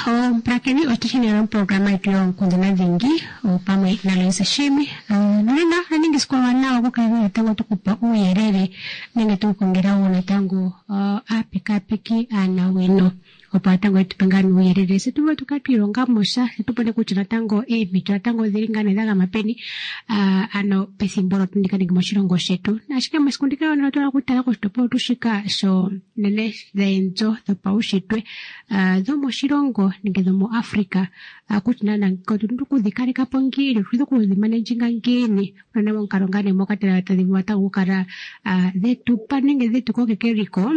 Omupulakeni otu shine moprograma yetu yonkundana dhingi pamwe naLoise Shiimi. Nonena ola ningi esiku ewanawa okukala natango tukupa uuyelele nenge tukukongela wo natango aapekapeki aanawino opo natango yetupe ngaa nuuyelele se tuvule tukale twiilonga mo sha se tupone kutya natango eempito natango odhili ngaa nee dha gama peni ano pethimbo olo ndika nenge moshilongo shetu. Ashike mesiku ndika otuna okutala koshitopolwa tuu shika sho nene dheendjo dhopaushitwe dhomoshilongo nenge dhomoAfrica kutya naana otuna okudhi kaleka po ngiini, otuna okudhi managinga ngiini unene momukalo ngaa nee moka tadhi vulu natango okukala dhetupa nenge dhetu kokeka eliko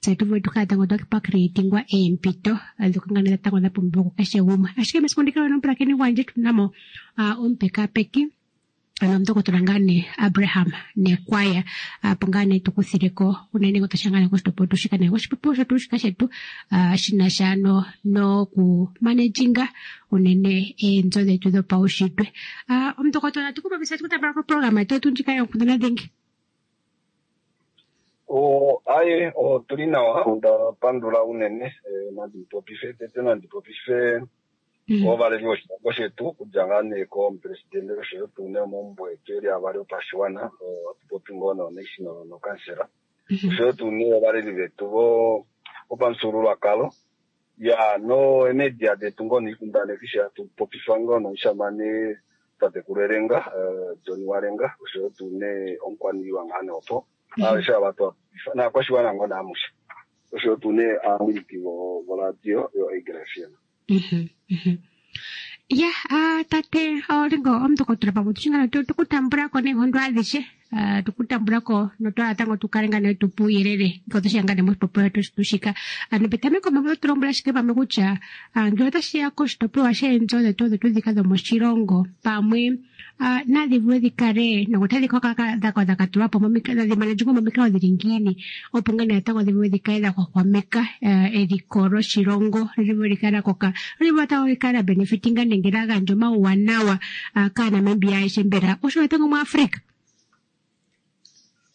tse tu vule tukale natango twa creatingwa eempito ndhoka ngaa nee natango dha pumbiwa kukeshe gumwe. Ashike mesiku ndika nomupulakeni gwandje tuna mo omupekapeki ano omundokotola ngaa nee Abraham Nekwaya opo ngaa nee tukuthileko unene ngele tashiya ngaa nee koshitopolwa tuu shika nenge koshipopiwa shetu shika shetu shinasha ano noku managinga unene eenzo dhetu dhopaushitwe. Omundokotola tukupopisa tukutambula koprograma yetu ndjika yonkundana dhingi. Aye otuli nawa, onda pandula unene nandi popife tete nandi popife ovaleli voshilongo shetu okudja ngaa nee komupresidente oshoyo tuu nee omaumbo etu eli avali opashiwana ohatu popi ngoo noonational nokansela oshoyo tuu nee ovaleli vetu vopamufyuululwakalo ya no media detu ngoo noikundaneki sho hatu popifa ngoo nomushamane tatekulu Elenga John Walenga oshoyo tuu nee omukwaniilwa ngaa nee opo aveshe ava twapopifa naakwashiwana ngoo naamushe oshoyo tuu nee aawiliki voradio yo Eagle FM. Ya tate Olingo omundokotola pamwe tushingana tukutambulako neenkondo adhishe tukutambulako notwa natango tukale ngaa nee tupe uuyelele ngele otashiya ngaa nee moshitopolwa shetu shika. Ano petameko pamwe oto tulombwele ashike pamwe kutya ngele otashiya koshitopolwa sheendjo dhetu odho tuu ndhika dhomoshilongo pamwe nadhi vule dhi kale nokutadhi dha katulwa po tadhi managingwa momikalo dhili ngiini opo ngaa nee natango dhi vule dhi kale dha hwahwameka eliko loshilongo li vule li kale la koka li vule natango li kale la benefitinga nenge la gandja omauwanawa kaaNamibia ayehe mbela osho natango muAfrica.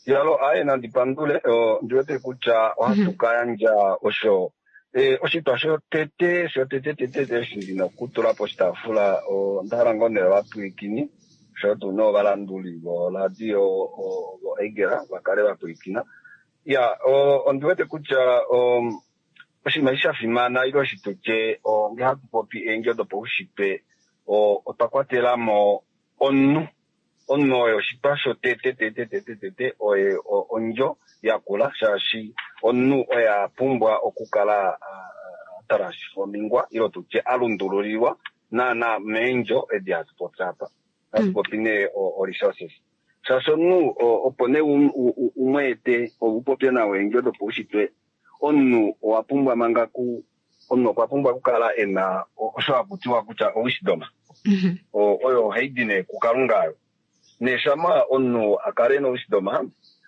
Yalo aye nandi pandule ndiwete kutya ohatu ka yandja osho oshitwa shotete shotete tete eshi ndina okutula poshitaafula onda hala ngoo nee ovapwilikini oshoyo tuu nee ovalanduli voradio voEagle vakale vapwilikina. Ya ondiwete kutya oshinima eshi shafimana ile oshitutye ngee hatu popi eendjo dopaushitwe otwa kwatelamo omunhu. Omunhu oye oshitwa shotete tete tete tete oye ondjo yakula shaashi omunhu oye apumbwa okukala atransformingwa ile tutye alundululilwa naana meendjo edi hatu popi apa. Hatu popi nee o-resources. Shaashi omunhu opo nee umweete upopye nawa eendjo dopaushitwe omunhu owa pumbwa manga omunhu okwa pumbwa okukala ena osho hakutiwa kutya owisdom. Oyo ohaidi nee kuKalunga ayo. Nee shama omunhu akale nowisdom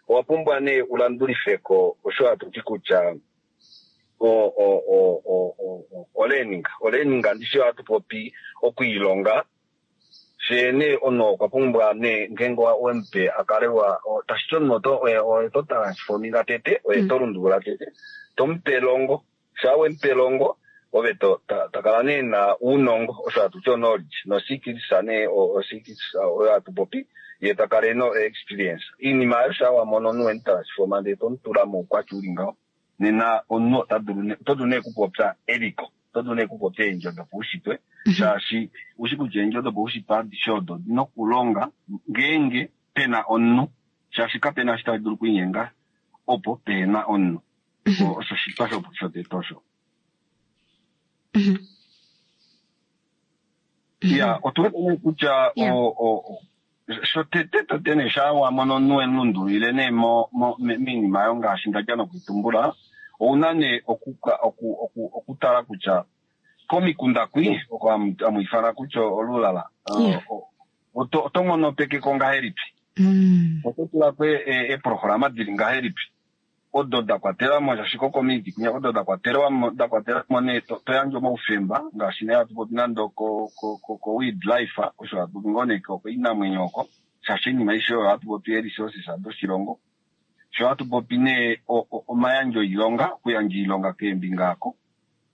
owa pumbwa nee ulandulifeko osho hatuti kutya olearning. Olearning ndishi ohatu popi okwiilonga fyee nee omunhu okwa pumbwa nee ngeenge wemupe akale tashiti omunhu oye to transforminga tete oye to lundulula tete tomupe elongo shaa wemupe elongo ove takala nee ena uunongo osho hatuti o knowledge no skills nee o skills oyo hatu popi ye takala ena experience. Iinima aayo shaa wamono omunhu wemu transforma ndee tomutula moukwatya uli ngaho nena omunhu oto dulu nee okupopya eliko oto dulu nee okupopya eendjo dopaushitwe shaashi ushi kutya eendjo dopaushitwe adishe odo odina okulonga ngeenge pena omunhu shaashi kapena eshi tashi dulu okwiinyenga opo pehena omunhu. Osho oshitwa shotete osho. Ya otuwete nee kutya shotete tete nee shaa wamono omunhu wemulundululile nee moinima oyo ngaashi ndadja nokuitumbula ouna nee okutala kutya komikunda kwi oko hamu ifana kutya olulala oto nghonopekeko ngahelipi oto tulako eeprograma dili ngahelipi odo da kwatelamo shaashi kocommunity kwinya odo da kwatelamo nee to yandje omaufemba ngaashi nee hatu popi nande ko wildlife osho hatu popi ngoo nee koinamwenyo oko shaashi oinima aishe oyo ohatu popi ee-resources doshilongo sho hatu popi nee omayandjo oilonga okuyandja oilonga keembinga oko.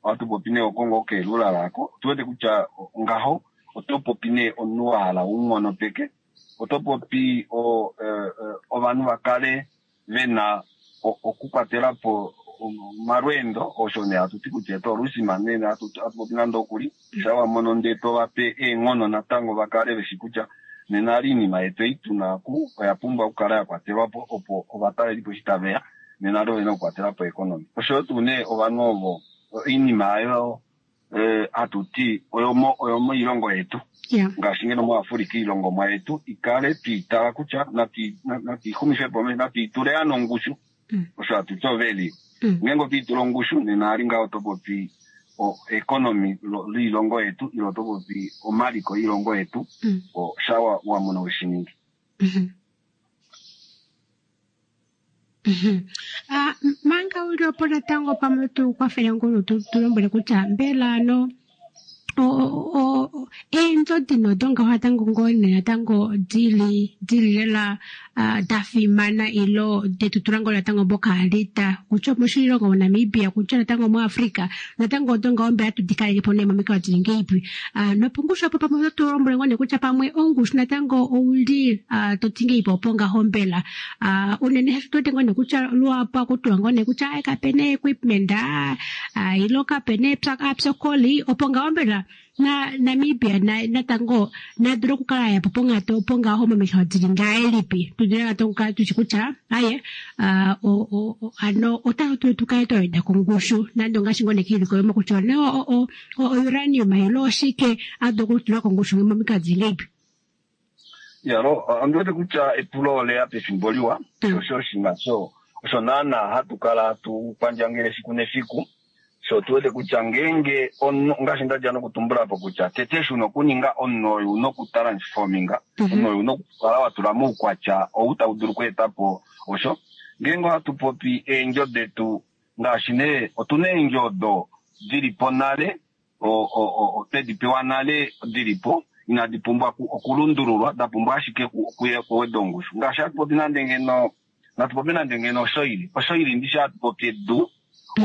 Ohatu popi nee oko ngoo keelula ako. Otu wete kutya ngaho oto popi nee omunhu wa hala unghonopeke, oto popi ovanhu va kale ve na okukwatela po omalweendo, osho nee hatu ti kutya tourism nee hatu popi nande okuli, sha wa mono ndee to va pe eenghono natango va kale veshi kutya nena ali iinima yetu ei tuna ku oya pumbwa okukala ya kwatelwa po opo ovatalelipo eshi tave ya nena ali ovena okukwatela po economy. Oshoyo tuu nee ovanhu ovo oinima ayo hatu ti oyomoilongo yetu ngaashi ngeno muAfrika iilongomwa yetu ikale twiitala kutya natiixumife po natiitule ya nongushu osho hatu ti ovalue. Ngeenge otwiitula ongushu nena ali ngaho oto popi economy liilongo yetu ile oto popi omaliko oilongo yetu sha wa mona weshiningi. Manga uli opo natango pamwe tu kwafele ngulu tu lombwele kutya mbela ano eendjo dino dongaho natango ngoo nee natango dili lela da fimana ilo detu tula ngoo natango mokaalita kutya moshilongo moNamibia kutya natango muAfrica natango odongaho mbela tudi kaleke po nee momikalo dili ngeipi nopongushu opo pamwe oto lombwele ngoo nee kutya pamwe ongushu natango ouli to ti ngeipi opo ngaho mbela unene hatu tote ngoo nee kutya luhapu akutula ngoo nee kutya kapena equipment ilo kapena apyokoli opo ngaho mbela na Namibia natango nadulu okukala yapo ponghatu opo ngaho momikalo dili ngahelipi tudule natango okukala tushi kutya aye ano otatu tukale twa weda kongushu nande ongaashi ngoo nekiilikolomwa kutya o-uranium ilo oshike adu okutula kongushu momikalo dili ngeipi. Yalo, ondi wete kutya epulo oleya pefimbo liwa, osho oshinima osho naana hatu kala tu pandjangele efiku nefiku. So tu wete kutya ngeenge ngaashi ndadja nokutumbula po kutya tete eshi una okuninga omunhu oyo una okutransforminga, omunhu oyo una okukala wa tula moukwatya ou tau dulu okweeta po osho. Ngeenge ohatu popi eendjo detu ngaashi nee otuna eendjo odo dili po nale, twedi pewa nale dili po inadi pumbwa okulundululwa, da pumbwa ashike okuweda ongushu. Ngaashi hatu popi nande ngeno natu popi nande ngeno osoili, osoili ndishi hatu popi edu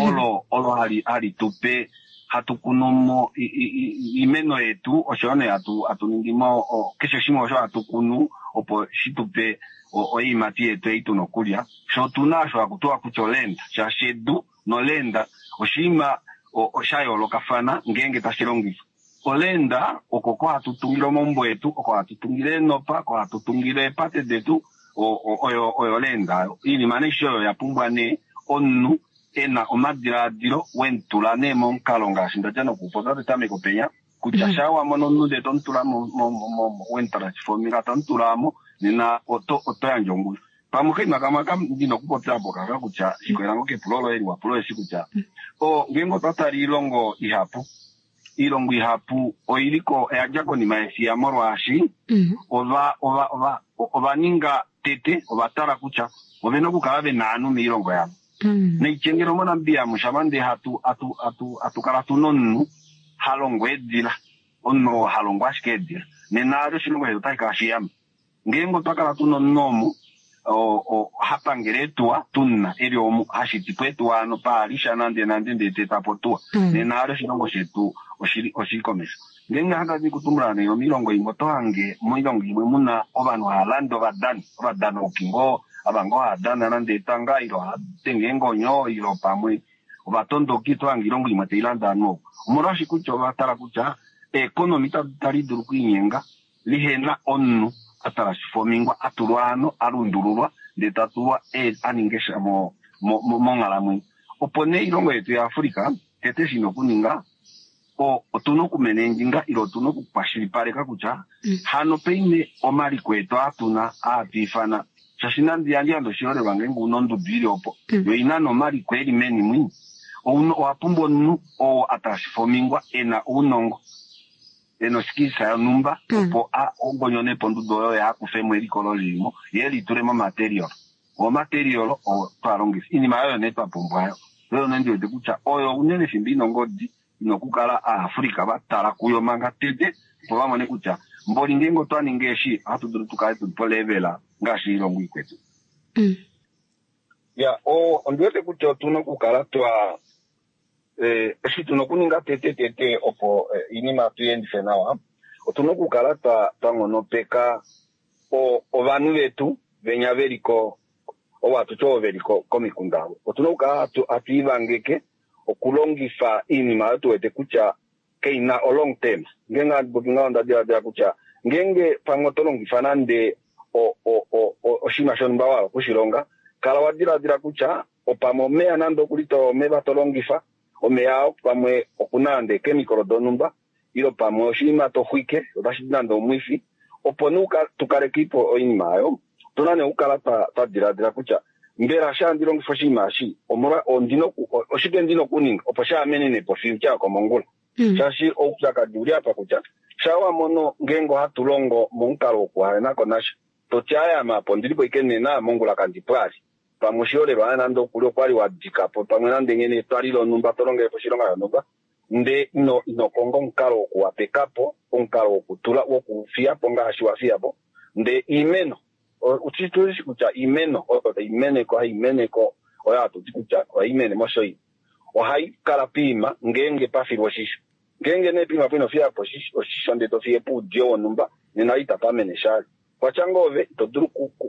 olo olo hali tupe hatu kunu mo iimeno yetu oshoyo nee hatu ningi mo keshe shimwe osho hatu kunu opo shi tupe oiimati yetu ei tuna okulya. Sho otuna osho haku tiwa kutya olenda, shaashi edu nolenda oshinima osha yoolokafana ngeenge tashi longifwa. Olenda oko ko hatu tungile omaumbo etu, oko hatu tungile eenopa, oko hatu tungile eepate detu, oyo olenda. Oinima nee oyo ya pumbwa nee omunhu ena omadilaadilo wemutula nee momukalo ngaashi ndadja nokupopya petameko penya kutya sha wa mono omunhu ndee tomutula wemutransforminga tomutulamo nena oto yandje ongushu. Pamwe okaima kamwe aka ndina okupopya apo kaka kutya shikolela ngoo kepulo loye liwa pulo eshi kutya ngeenge otwa tala iilongo ihapu, iilongo ihapu oiliko oya dja konima yefiya molwaashi ova ninga tete ova tala kutya ovena okukala vena ovanhu moilongo yavo. Naityengelo moNamibia mushama ndee hatu kala tuna omunhu ha longo eedila, omunhu oo ha longo ashike eedila nena ali oshilongo shetu otashi kala shiyamba. Ngeenge otwa kala tuna omunhu omu ha pangele eetuwa tuna eli omu hashitipo eetuwa ano paalisha nande nande ndee ta etapo otuwa nena ali oshilongo shetu oshili komesho. Ngeenge handi kutumbula nee moilongo imwe oto hange moilongo imwe muna ovanhu hava lande ovadani, ovadanauki ngoo ava ngoo hava dana nande etanga ilo hava denge eengonyo ilo pamwe ovatondoki oto hange oilongo imwe tailande ovanhu ovo. Omolwashike kutya ova tala kutya eekonomi itadi dulu okwiinyenga lihena omunhu atransformingwa atulwa ano alundululwa ndee tatulwa aninge sha monghalamwenyo. Opo nee oilongo yetu yaAfrica tete shina okuninga otuna okumenenginga ile otuna okukwashilipaleka kutya hano paine omaliko etu atuna aatwiifana shaashi nande yandi oshiholelwa ngeenge una ondudu ili opo yo ina nomaliko eli meni mwi owa pumbwa omunhu oo atransformingwa ena ounongo ena oskills yonhumba opo ongonyone po ondudu oyo yaakufemo eliko lolilimo ye litule momaterial. Omaterial oo twalongifa iinima oyo nee twa pumbwa oyo nee ndiwete kutya oyo unene fimbo ina ongodi ina okukala Aafrika va tala kuyo manga tete opo va mone kutya mboli ngeenge otwa ninga eshi ohatu dulu tukale tuli polevel ngaashi oilongo ikwetu. Ya, ondiwete kutya otuna okukala twa Eshi tuna okuninga tete tete opo oinima tuyendife nawa, otuna okukala twa nghonopeka ovanhu vetu venya veliko ovo hatuti ovo veli komikunda avo. Otuna okukala hatu ivangeke okulongifa oinima oyo tuwete kutya kaina o long term. Ngeenge handi popi ngaho onda diladila kutya ngeenge pamwe oto longifa nande oshinima shonhumba wa hala okushilonga, kala wa diladila kutya opamwe omeya nande okuli omeva to longifa, omeya oo pamwe okuna nande eechemical donhumba ile pamwe oshinima to xwike otashi di nande omwifi, opo nee tukalekepo oinima oyo, otuna nee okukala twa diladila kutya mbela sha handi longifa oshinima eshi oshike ndina okuninga opo shaamenenepo future yokomongula. Shaashi oupyakadi uli apa kutya sha wamono ngeenge ohatu longo momukalo wokuhalenako nasha, toti ayama apo ondilipo ashike nena mongula kandipo ali. Pamwe oshiholelwa nande okuli okwali wadikapo pamwe nande nghene etwali lonhumba to longelepo oshilonga shonhumba, ndee ino konga omukalo wokuwapekapo, omukalo wokutula wokufiyapo ngaashi wafiyapo, ndee iimeno otushi kutya iimeno oyo tai meneko hai meneko oyo hatuti kutya ohai mene moshoini ohai kala piima ngeenge pafilwa oshisho. Ngeenge nee piima po ino fiyapo oshisho ndee to fiye po oudiyo wonhumba, nena itapa mene shali. Kwatya ngoo ove ito dulu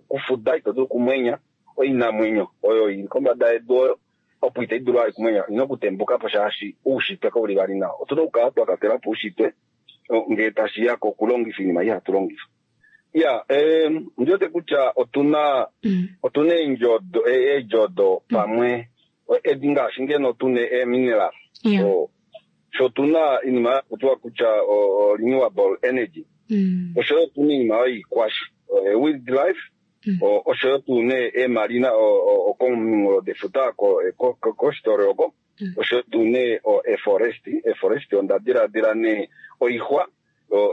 kufuda, ito dulu kumwenya oinamwenyo oyo ili kombada yedu oyo opo itai dulu vali kumwenya, ina okutembukapo shaashi oushitwe kauli vali nawa. Otuna okukala twa katela po oushitwe ngee tashiya kokulongifa oinima ei hatu longifa. Ya, ondi wete kutya otuna otuna eedjo odo pamwe edi ngaashi ngeno tuna eemineral. Sho tuna oinima yakutiwa kutya renewable energy, oshoyo tuna oinima oyo iikwashi wildlife, oshoyo tuna eemarina kominghulo defuta coastal oko, oshoyo tuna eeforest. Eeforest onda diladila nee oixwa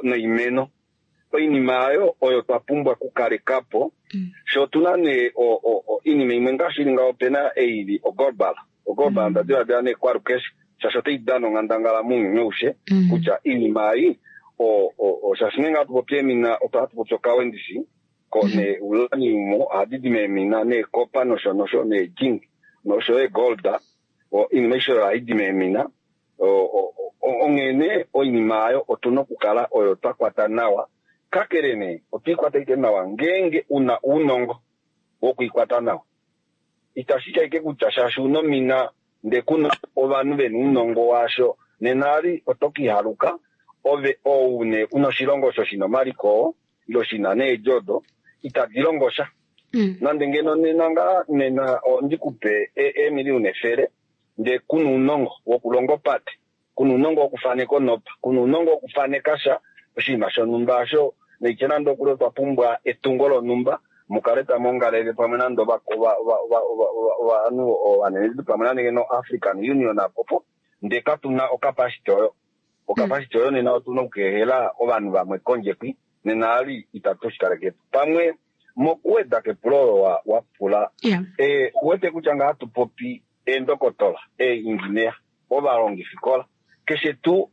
noimeno. Oinima oyo oyo twa pumbwa okukalekapo. Sho otuna nee oinima imwe ngaashi ili ngaho, opena ei ili oglobal. Oglobal onda diladila nee kwalukeshe, shaashi otai dana onghandangala mounyuni aushe kutya oinima ei shaashi ngeenge hatu popi eemina ohatu popi okawendisi nee uranium ohadi di meemina neekopa nosho nosho neezinc nosho yo eegold, oinima aishe oyo ohai di meemina. Onghene oinima oyo otuna okukala oyo twa kwata nawa, kakele nee otwiikwata ashike nawa ngeenge una ounongo wokwiikwata nawa. Itashi ti ashike kutya shaashi una omina ndee kuna ovanhu vena ounongo waasho, nena ali oto kihaluka ove ou nee una oshilongo osho shina omaliko oo ile shina needjo odo itadi longo sha. Nande ngeno nena ngaa nena ondikupe eemiliyuna 100 ndee kuna ounongo wokulonga opate, kuna ounongo wokufaneka onopa, kuna ounongo wokufaneka sha oshinima shonhumba osho naitye nande okuli otwa pumbwa etungo lonhumba mukale tamu ongalele pamwe nande ovanhu ovanenenhu pamwe nande ngeno African Union apopo, ndee katuna ocapacity oyo. Ocapacity oyo nena otuna okukeehela ovanhu vamwe kondje kwi, nena ali itatu shikalekepo. Pamwe mokuweda kepulo olo wa pula, uwete kutya nga hatu popi eendokotola, eeingineya, ovalongifikola, keshe tuu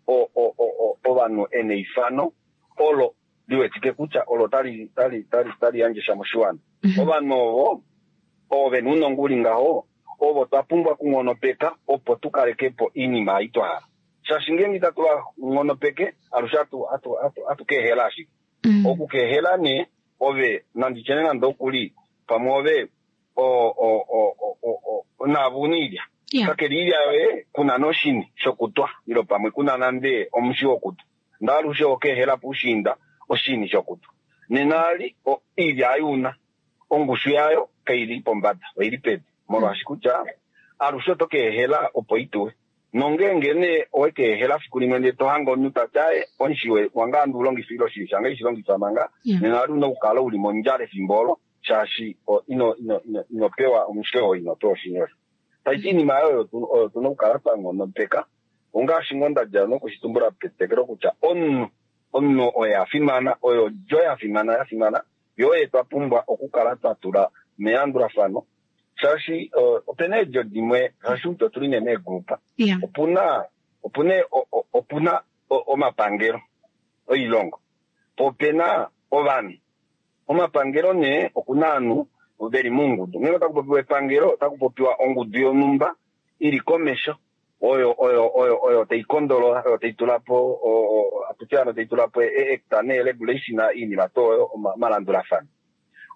ovanhu ena eifano olo liwetike kutya olo tali yandje sha moshiwana. Ovanhu ovo ovo vena ounongo uli ngaho, ovo twa pumbwa okunghonopeka opo tukalekepo oinima ei twa hala. Shaashi ngeenge itatu va nghonopeke, alushe hatu keehela ashike. Okukeehela nee ove nanditye nee nande okuli pamwe ove naave una oilya, kakele oilya yoye kuna noshini shokutwa ile pamwe kuna nande omushi wokutwa, ndee alushe okeehela puushiinda oshini shokutwa. Nena ali oilya ei una ongushu yayo kaili pombada, oili pedu, molwaashi kutya alushe oto keehela opo ituwe. Nongeenge nee owekeehela fiku limwe ndee tohange omunhu tati aaye omushi wange handi ulongifa ile oshini shange ishilongifa manga, nena ali una okukala uli mondjala efimbo olo shaashi ino pewa omushi oo, ino pewa oshini osho. Taiti oinima oyo oyo tuna okukala twa nghonopeka, ongaashi ngoo ndadja nokushitumbula petetekelo kutya omunhu omunhu oye afimana, oyo odjo yafimana yafimana, yo oye twa pumbwa okukala twa tula melandulafano, shaashi opena eedjo dimwe, shaashi kutya otuli nee meegrupa, opuna opuna opuna omapangelo oilongo, po opena ovanhu. Omapangelo nee okuna ovanhu veli moungudu. Ngeenge otaku popiwa epangelo, otaku popiwa ongudu yonhumba ili komesho. Oyo oyo oyo oyo tai kondolola, oyo tai tula po, atuti ano tai tula po act nee regulation iinima to oyo omalandulafano.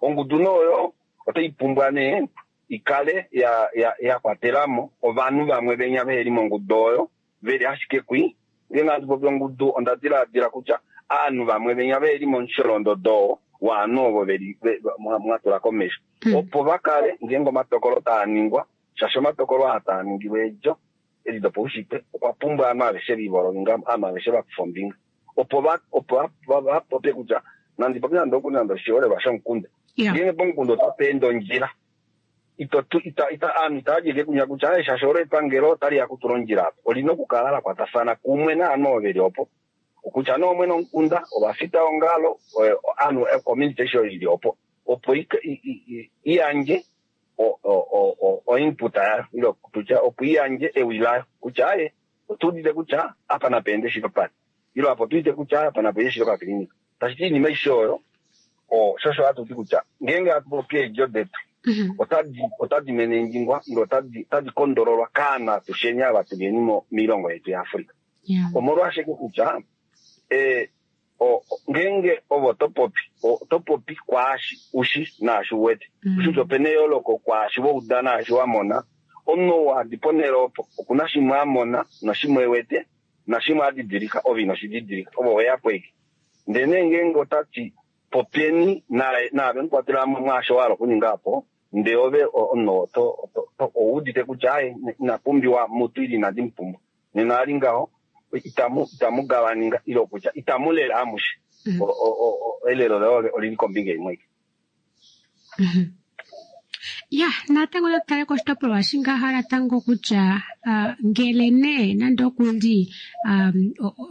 Ongudu nee oyo otai pumbwa nee ikale ya ya ya kwatelamo ovanhu vamwe venya veheli mongudu oyo veli ashike kwi. Ngeenge hatu popi ongudu onda dilaadila kutya aanhu vamwe venya veheli momusholondodo oo waanhu ovo veli mwa tula komesho opo vakale ngeenge omatokolo taa ningwa, shaashi omatokolo aa taa ningilwa eedjo edi dopaushitwe okwa pumbwa aanhu aveshe vivolonga, aanhu aveshe vakufa ombinga opo va opo vapopye kutya nandi popye nande okuli nande oshiholelwa shomukunda. Ngeenge pomukunda otapa ende ondjila aanhu itava djeke kunya kutya aye shaashi olo epangelo otali ya kutula ondjila apa. Olina okukala la kwatafana kumwe naanhu ovo veli opo, kutya nee omwene womukunda, ovafita ongalo, aanhu community eshi oyo ili opo, opo i yandje oinput yayo, ile tutya opo i yandje ewi layo kutya aye otu udite kutya apa napa ende shili opate, ile apa otu udite kutya apa napa ende shili okakilinika. Tashi ti oinima aishe oyo shosho hatu ti kutya ngeenge hatu popi eedjo detu otadi menenjingwa ile otadi kondololwa kaanhu atusheni ava tuliyeni moilongo yetu yaAfrika. Omolwashike kutya ngeenge ovo topopi otopopi kwaashi ushi naashi uwete. Ushi kutya opena eyooloko kwaashi wauda naashi wamona. Omunhu ou hadi ponhele opo okuna shimwe amona noshimwe ewete nashimwe adidilika ove inoshididilika ove oweyapo ashike. Ndele nee ngeenge otati popyeni naave mukwatelamo mwaasho wahala okuninga apo, ndee ove omunhu ouudite kutya aye ina pumbiwa mutu ile inandi mupumbwa, nena ali ngaho itamu gavaninga ile kutya itamu lele amushe. Elelo loye olili kombinga imwe. Ya, natango natu tale koshitopolwa shingaha natango kutya ngele nee nande okuli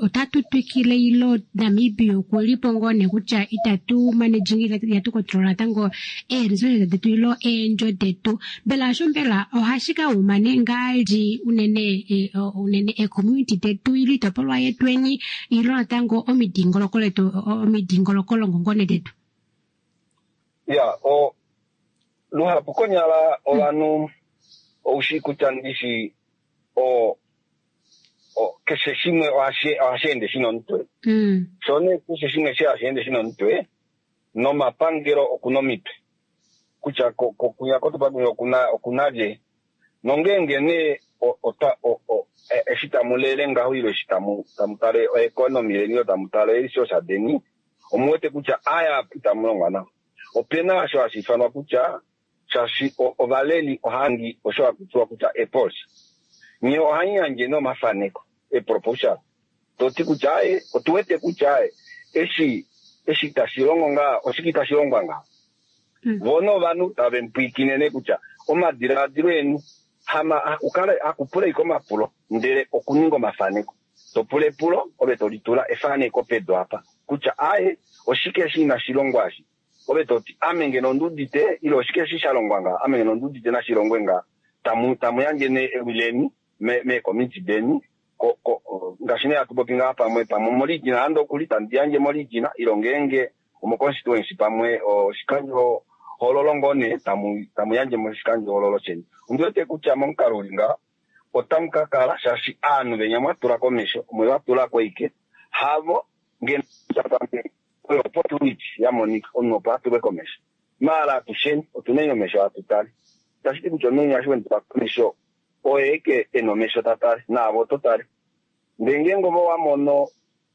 otatu twikile ilo Namibia okuli po ngoo nee kutya itatu managing itatu control natango ee-resources detu ilo eendjo detu, mbela osho mbela ohashi ka uma nee ngaali unene unene ee-community detu ilo iitopolwa yetweni ilo natango omidingoloko letu omidingolokolongo ngoo nee detu? Ya, luhapu konyala ovanhu oushi kutya ndishi keshe shimwe ohashi ende shina omutwe. Sho nee keshe shimwe hashi ende shina omutwe, nomapangelo okuna omitwe. Kutya kuya kotupangelo okuna lye. Nongeenge nee eshi tamu lele ngaho ile eshi tamu tale oeconomy yeni ile tamu tale eeresource deni, omuwete kutya aya itamu longwa nawa. Opena osho hashi ifanwa kutya shaashi ovaleli ohangi osho hakutiwa kutya epolicy. Nye ohamu yandje nee omafaneko, eproposal. Toti kutya aye, otuwete kutya aye, eshi tashi longo ngaa, oshike itashi longwa ngaho. Vo novanhu tave mupwiikine nee kutya omadilaadilo eni hakupula ashike omapulo, ndele okuninga omafaneko. Topula epulo, ove tolitula efaneko pedu apa kutya aye, oshike eshi inashi longwa eshi. Ove toti ame ngeno onduudite, ile oshike eshi sha longwa ngaha, ame ngeno onduudite nashi longwe ngaha. Tamu yandje nee ewi leni meekomiti deni, ngaashi nee hatu popi ngaha pamwe pamwe omoregina nande okuli tandi yandje moregina, ile ngeenge omoconstituency pamwe oshikandjo hoololo ngoo nee tamu yandje moshikandjo hoololo sheni. Ondi wete kutya momukalo uli ngaha otamu ka kala shaashi aanhu venya mwa tula komesho omwe va tula ko ike havo ngeno oyo opportunity ya monika omunhu opo a tulwe komesho. Maala atusheni otuna omesho hatu tale, itashi ti kutya omunhu eshi wemutula komesho oye eke ena omesho ta tale naave oto tale. Ndele ngeenge ove owa mono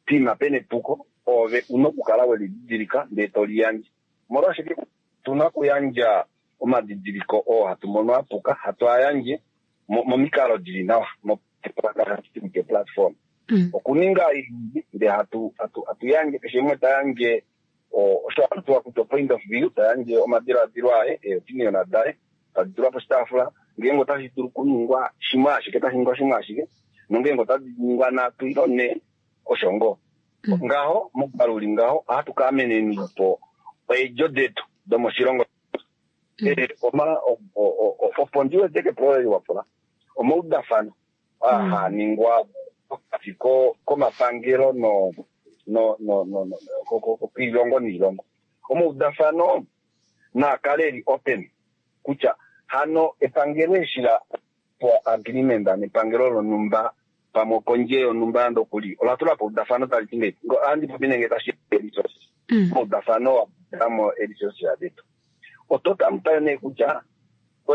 pima pena epuko ove una okukala welididilika ndee to liyandje. Omolwashike tuna okuyandja omadidiliko oo hatu mono apuka hatu a yandje momikalo dili nawa platform okuninga ndee hatu yandje keshe umwe ta yandje osho hatu kutya point of view, ta yandje omadiladilo aye, eopinion daye tadi tulwa poshitaafula. Ngeenge otashi dulu okuningwa shimwe ashike otashi ningwa shimwe ashike, nongeenge otadi ningwa nhatu ile nhee osho ngoo. Ngaho momukalo uli ngaho ohatu ka ameneni po eedjo detu domoshilongo. Opo ndi wete kepulo leli wapula omaudafano aa haningwa pokati komapangelo koilongo niilongo. Omaudafano naa kale eli open kutya hano epangelo eshi la po agreement nepangelo lonhumba pamwe okondje yonhumba yande okuli ola tula po eudafano tali ti ngahelipi? Ohandi popi nenge tashi resources. Omaudafano wa kwatela mo resources detu. Oto tamutale nee kutya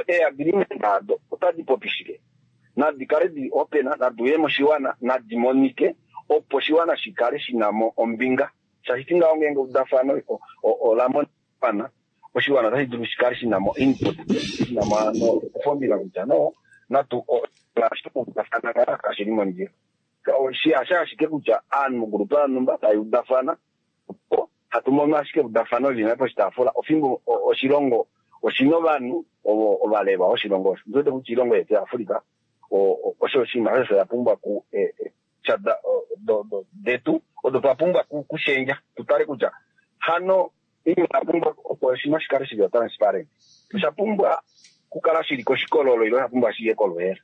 eagreement ado otadi popi shike? Nadi kale dili open, nadi uye moshiwana, nadi monike opo oshiwana shi kale shi na mo ombinga. Shaashi ti ngaho ngeenge eudafano ola monika, oshiwana otashi dulu shi kale shi na mo input, shi na mo hano ofombinga kutya no, natu udafana ngaa kashi li mondjila. Hasha ashike kutya aanhu mogrupa yonhumba tai udafana, opo hatu mono ashike eudafano lili nale poshitaafula, ofimbo oshilongo oshina ovanhu ovo ovalelwa voshilongo osho. Ondi wete kutya oilongo yetu yaAfrica osho oshinima osho ya pumbwa ku detu odo twa pumbwa kushendja, tu tale kutya hano inima ya pumbwa opo oshinima shi kale shili transparent, osha pumbwa kukala shili koshikololo ile osha pumbwa shiye koluhela.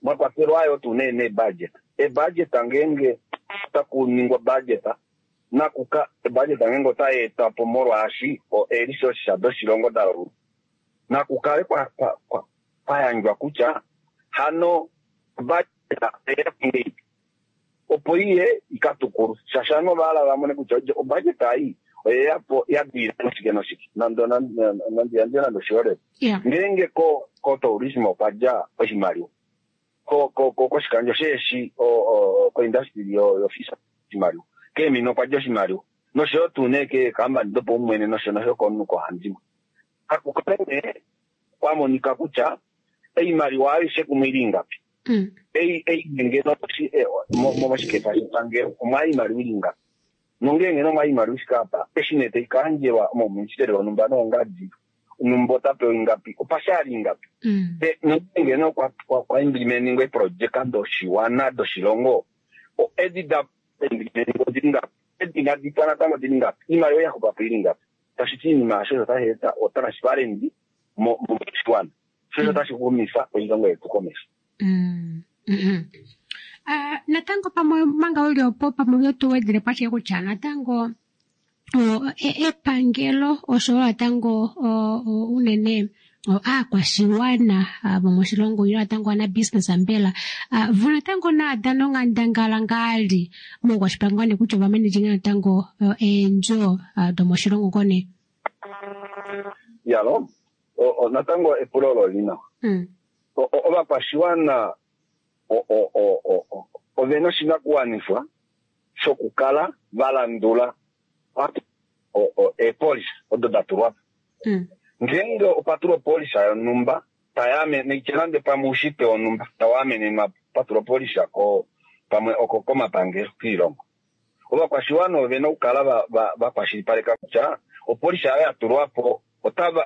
Mwa kwatelwa ayo tuu nee nebudget. Ebudget ngeenge otaku ningwa budget, nakuka ebudget ngeenge otai etwa po molwaashi eelisosha doshilongo da longwa, nakukale kwa yandjwa kutya hano budget oya ngeipi opo iye ikatukulwe, shaashi ovanhu ova hala va mone kutya obudget ei oyeya po ya dilila noshike noshike. Nandi yandje nande oshiholelwa, ngeenge ko tourism okwa dja oshimaliwa, koshikandjo sheeshi, koindustry yofisa oshimaliwa, keemina okwa dja oshimaliwa, noshoyo tuu nee keekambani dopaumwene nosho nosho komunhu koohandimwe, kakukale nee kwa monika kutya oimaliwa aishe kumwe ili ingapi. Ei ngeno moshikefa shepangelo omwa imaliwa ili ingapi, nongeenge nomwa imaliwa ishike apa, eshi nee tai ka yandjelwa mouministeli wonhumba noongadi, onhumba ota pewa ingapi, opashali ingapi. Nongeenge nee kwa implementingwa eeprojeka doshiwana doshilongo, edi da implementingwa odili ngapi, edi inadi pwa natango odili ngapi, oimaliwa ya xupa po ili ngapi. Tashi ti iinima osho otashi eta otransparency moshiwana, sho otashi xumifa oilongo yetu komesho. Natango pamwe manga uli opo pamwe oto wedele po ashike kutya natango epangelo oshowo natango unene aakwashiwana vomoshilongo ile natango ana business mbela vo natango naadana onghandangala ngaali moukwashipangane kutya ova manage natango eendjo domoshilongo kone. Yalo natango epulo olo li nawa. Ovakwashiwana ovena oshinakuwanifwa shokukala va landula eepolisi odo da tulwa po. Ngeenge opa tulwa opolisi yonhumba tayamene nande pamwe oushitwe wonhumba tau amenenwa po, pa tulwa opolisi pamwe oko komapangelo kiilongo, ovakwashiwana ovena okukala va kwashilipaleka kutya opolisi ayo ya tulwa po otava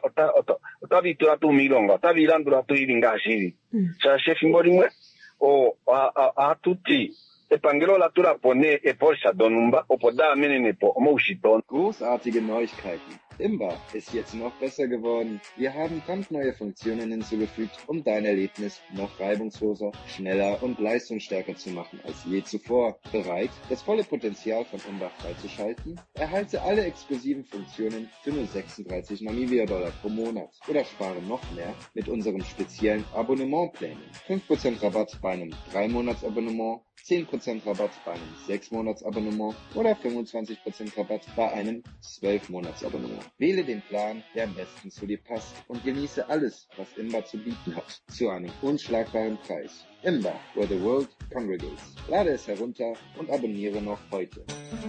itula tuu miilonga, otava ilandula tuu ili ngaashi ili. Shaashi efimbo limwe ohatu ti epangelo ola tula po nee eepolisi donhumba opo da amenene po omaushitwe. Großartige Neuigkeiten! Imba ist jetzt noch besser geworden. Wir haben brandneue Funktionen hinzugefügt, um dein Erlebnis noch reibungsloser, schneller und leistungsstärker zu machen als je zuvor. Bereit, das volle Potenzial von Imba freizuschalten? Erhalte alle exklusiven Funktionen für nur 36 Namibia-Dollar pro Monat oder spare noch mehr mit unseren speziellen Abonnementplänen. 5% Rabatt bei einem 3-Monats-Abonnement, 10% Rabatt bei einem 6-Monats-Abonnement oder 25% Rabatt bei einem 12-Monats-Abonnement. Wähle den Plan, der am besten zu dir passt und genieße alles, was Imba zu bieten hat, zu einem unschlagbaren Preis. Imba, where the world congregates. Lade es herunter und abonniere noch heute.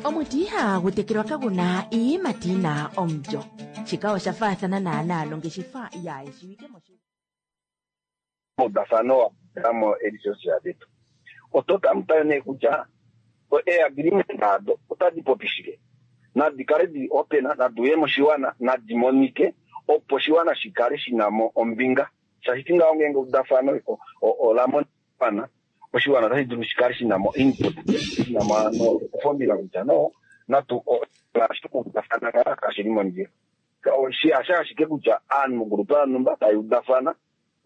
Omuti ihagu tekelwa kaguna iiyimati yina omulyo. Shika osha faathana naanaa nongeshefa yaayeshiwike moshilongo. Maudafano wa mo eresources detu. Oto tamutale nee kutya eagreement ado otadi popi shike? Nadi kale dili open, nadi uye moshiwana, nadi monike opo oshiwana shi kale shi na mo ombinga. Shaashi ti ngaho ngeenge eudafano ola monika, oshiwana otashi dulu shi kale shi na mo input, shi na mo ofombinga kutya no, natu udafana ngaa kashi li mondjila. Hasha ashike kutya aanhu mogrupa yonhumba tai udafana,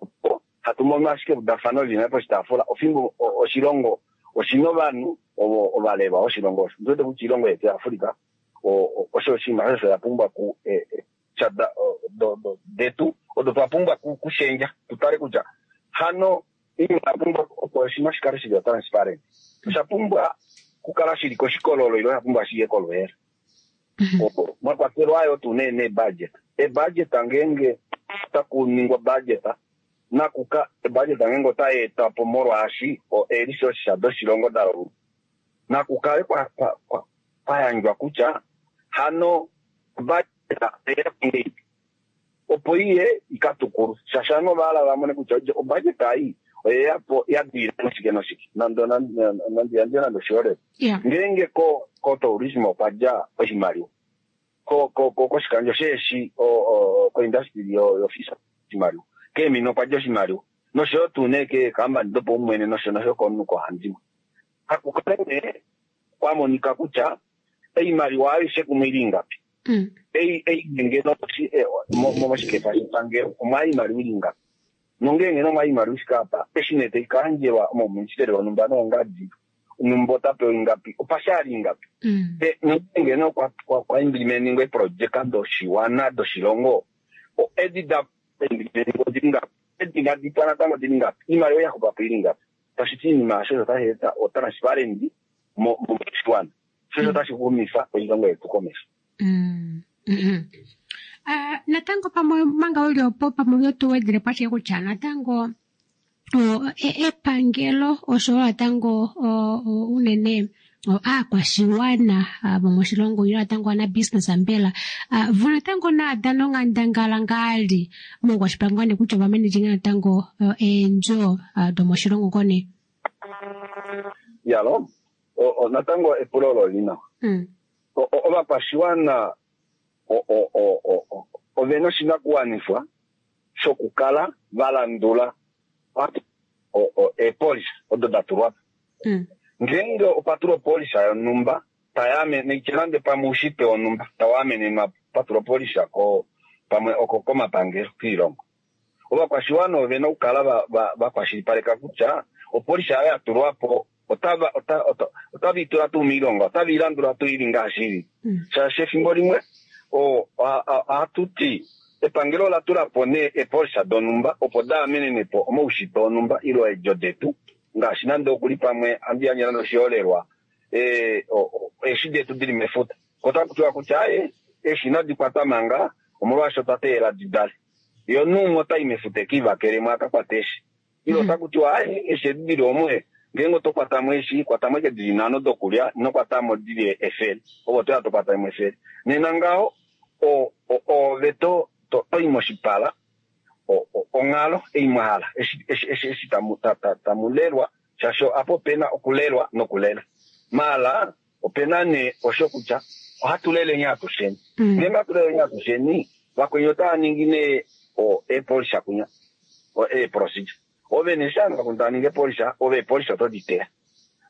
opo hatu mono ashike eudafano lili nale poshitaafula, ofimbo oshilongo oshina ovanhu ovo ovalelwa voshilongo osho. Ondi wete kutya oilongo yetu yaAfrica osho oshinima osho ya pumbwa ku detu odo twa pumbwa kushendja, tu tale kutya Hano oinima oya pumbwa opo oshinima shi kale shili transparent, osha pumbwa okukala shili koshikololo ile osha pumbwa shiye kolweela. Opo mwa kwatelwa yo tuu nee neebudget. Eebudget ngeenge otaku ningwa budget, nakuka ebudget ngeenge otai etwa po molwaashi eelisosha doshilongo da longwa, naku kale kwa, kwa, kwa, kwa yandjwa kutya hano budget oya ngeipi opo iye ika tukulwe, shaashi ovanhu ova hala va mone kutya obudget ei oyeya po ya dilila moshike noshike. Nande nandi yandje nande oshiholelwa, ngeenge ko ko tourism okwa dja oshimaliwa, ko ko ko koshikandjo sheeshi koindustry yo fish oshimaliwa, keemina okwa dja oshimaliwa, noshoyo tuu nee keekambani dopaumwene nosho nosho komunhu koohandimwe. Naku kale nee kwa monika kutya oimaliwa aishe kumwe ili ingapi. Ei ei ngeno moshikefa shepangelo omwa oimaliwa ili ingapi. Nongeenge nee omwa oimaliwa i fike apa, eshi nee tai ka yandjelwa omauministeli onhumba noongadi, onhumba ota pewa ingapi, opa shali ingapi. Nongeenge nee okwa implimentingwa eeprojeka doshiwana doshilongo, edi da implimentingwa odili ngapi, edi inadi pwa natango odili ngapi, oimaliwa ya xupa po ili ngapi. Tashi ti iinima aasho osho otashi eta otransparency moshiwana, sho osho otashi xumifa oilongo yetu komesho. Natango pamwe manga uli opo pamwe oto wedele po ashike kutya natango epangelo oshowo natango unene aakwashiwana vomoshilongo ile natango anabusiness mbela vo natango naadana onghandangala ngaali moukwashipangane kutya ova manage natango eendjo domoshilongo kone. Yalo, natango epulo olo oli nawa. Ovakwashiwana ove na oshinakuwanifwa shokukala va landula eepolisi odo da tulwa po. Ngeenge opa tulwa opolisi yonhumba tayamene nande pamwe oushitwe wonhumba tau amenenwa pa tulwa opolisi ko pamwe oko komapangelo kiilongo, ovakwashiwana ove na okukala va kwashilipaleka kutya opolisi ayo ya tulwa po otava itula tuu miilonga, otava i landula tuu ili ngaashi ili. Shaashi efimbo limwe ohatu ti epangelo ola tula po nee eepolisa donhumba opo da amenene po omaushitwe onhumba ile eedjo detu, ngaashi nande okuli pamwe handi yandje nande oshiholelwa eeshi detu dili mefuta, ko otaku tiwa kutya aye eeshi inadi kwatwa manga omolwaashi otwa teelela di dale, yo numwe otai mefuta eke ivakelemo aka kwate eeshi, ile otaku tiwa aye eeshi edi dili omwe ngeenge oto kwatamo eeshi kwatamo eke dili nhano dokulya ino kwatamo dili efele, ove otoya to kwatamo efele. Nena ngaho ove to i moshipala onghalo ei mwa hala eshi tamu lelwa, shaashi apa opena okulelwa nokulela. Maala opena nee osho kutya ohatu lele atusheni. Ngeenge hatu lele atusheni, vakweni otava ningi nee eepolisa kunya, eeprocedure. Ove nee eshi ovanhu tava ningi eepolisa, ove eepolisa oto di teya.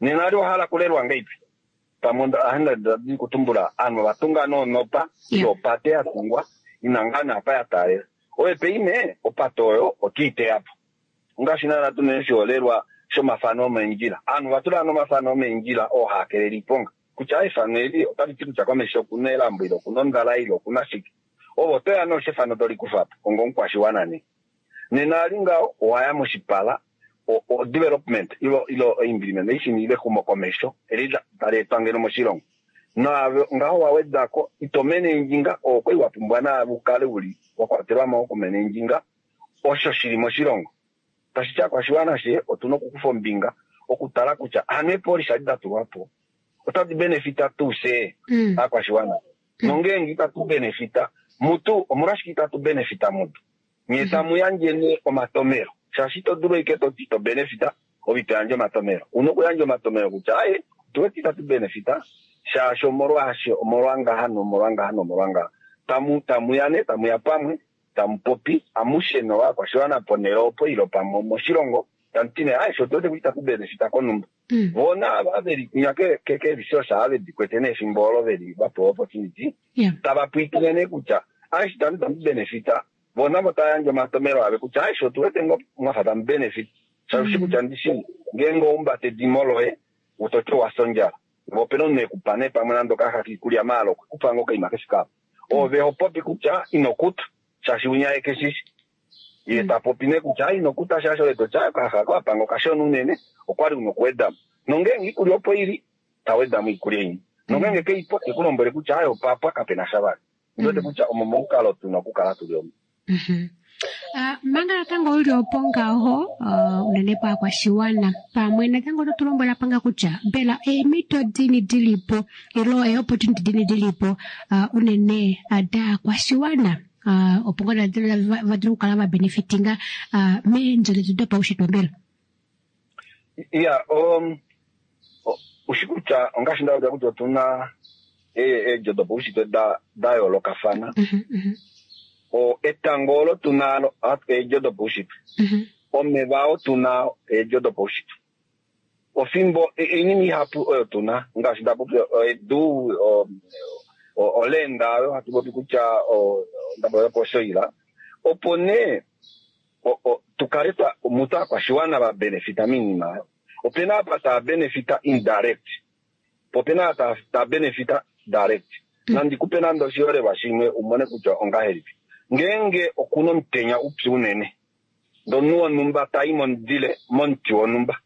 Nena ali owa hala okulelwa ngahelipi? Pamwe ohandi kutumbula ovanhu ova tunga noonopa, ile opate ya tungwa ina ngaa naapa ya taalela. Ove paime opate oyo oto i teya po. Ongaashi naana tuna oshiholelwa shomafano omeendjila. Ovanhu ova tula omafano omeendjila oo haa kelele iiponga. Kutya efano eli otali ti kutya komesho okuna elambo ile okuna ondala ile okuna shike. Ove oto ya nee efano toli kufa po onga omukwashiwana nee. Nena ali ngaho owaya moshipala o development ilo implementation ile exumokomesho eli tali etwa ngeno moshilongo. Naave ngaho wa wedako ito menendjinga oo kwali wa pumbwa naave ukale uli wa kwatelwa mo okumenendjinga osho shili moshilongo. Tashi ti aakwashiwana she otuna okukufa ombinga okutala kutya hano eepolisi adi da tulwa po otadi benefita tuu fye aakwashiwana, nongeenge itatu benefita mutu omolwashike itatu benefita mutu? Nye tamu yandje nee omatomelo, shaashi ito dulu ashike toti ito benefita ove ito yandje omatomelo. Una okuyandja omatomelo kutya aye otu wete itatu benefita shaashi omolwaashi omolwa ngaha nomolwa ngaha nomolwa ngaha. Tamu tamu ya nee tamu ya pamwe tamu popi amushe novakwashiwana ponhele opo ile pamwe moshilongo tamu ti nee aye otu wete kutya itatu benefita konhumba. Vona ava veli kunya keeresource ava vedi kwete nee efimbo olo veli va pewa opportunity, tava pwiikine nee kutya aye tamu tamu benefita, vona vo tava yandje omatomelo ave kutya aye otu wete ngoo mwafa tamu benefit, shaashi kutya ndishi ngeenge oumbate edimo loye utoti owa fya ondjala, vo opena omunhu ekupa nee pamwe nande okayaxa kiikulya maala okwekupa ngoo okaima kefike apa, ove ho popi kutya ino kuta shaashi winya ye keshishi. Ye ta popi nee kutya ino kuta shaashi oleto tya okayaxa ko wapanga okashona unene, okwali una okuwedamo. Nongeenge iikulya opo ili, ta wedamo iikulya imwe. Nongeenge keipo, te ku lombwele kutya ayo opapwa kapena sha vali. Ndi wete kutya omo momukalo tuna okukala tuli omo. Manga natango uli opo ngaho, unene paakwashiwana pamwe natango oto tu lombwela panga kutya mbela eemhito dini dilipo ilo eeopportunity dini dilipo unene daakwashiwana opo ngoo va dule okukala va benefitinga meendjo detu dopaushitwe mbela? Iya, ushi kutya ongaashi nda kutya otuna eedjo dopaushitwe da yoolokafana. Etango olo tuna eedjo dopaushitwe. Omeva oo tuna eedjo dopaushitwe. Ofimbo oinima ihapu oyo tuna ngaashi nda popi edu, olenda oyo hatu popi kutya ndapopi oshoila. Opo nee tukale mutu aakwashiwana va benefita miinima oyo. Opena apa taa benefita indirect, po opena apa taa benefita direct. Nandi kupe nande oshiholelwa shimwe umone kutya ongahelipi. Ngeenge okuna omutenya upyu unene, ndee omunhu wonhumba tai momudile momuti wonhumba,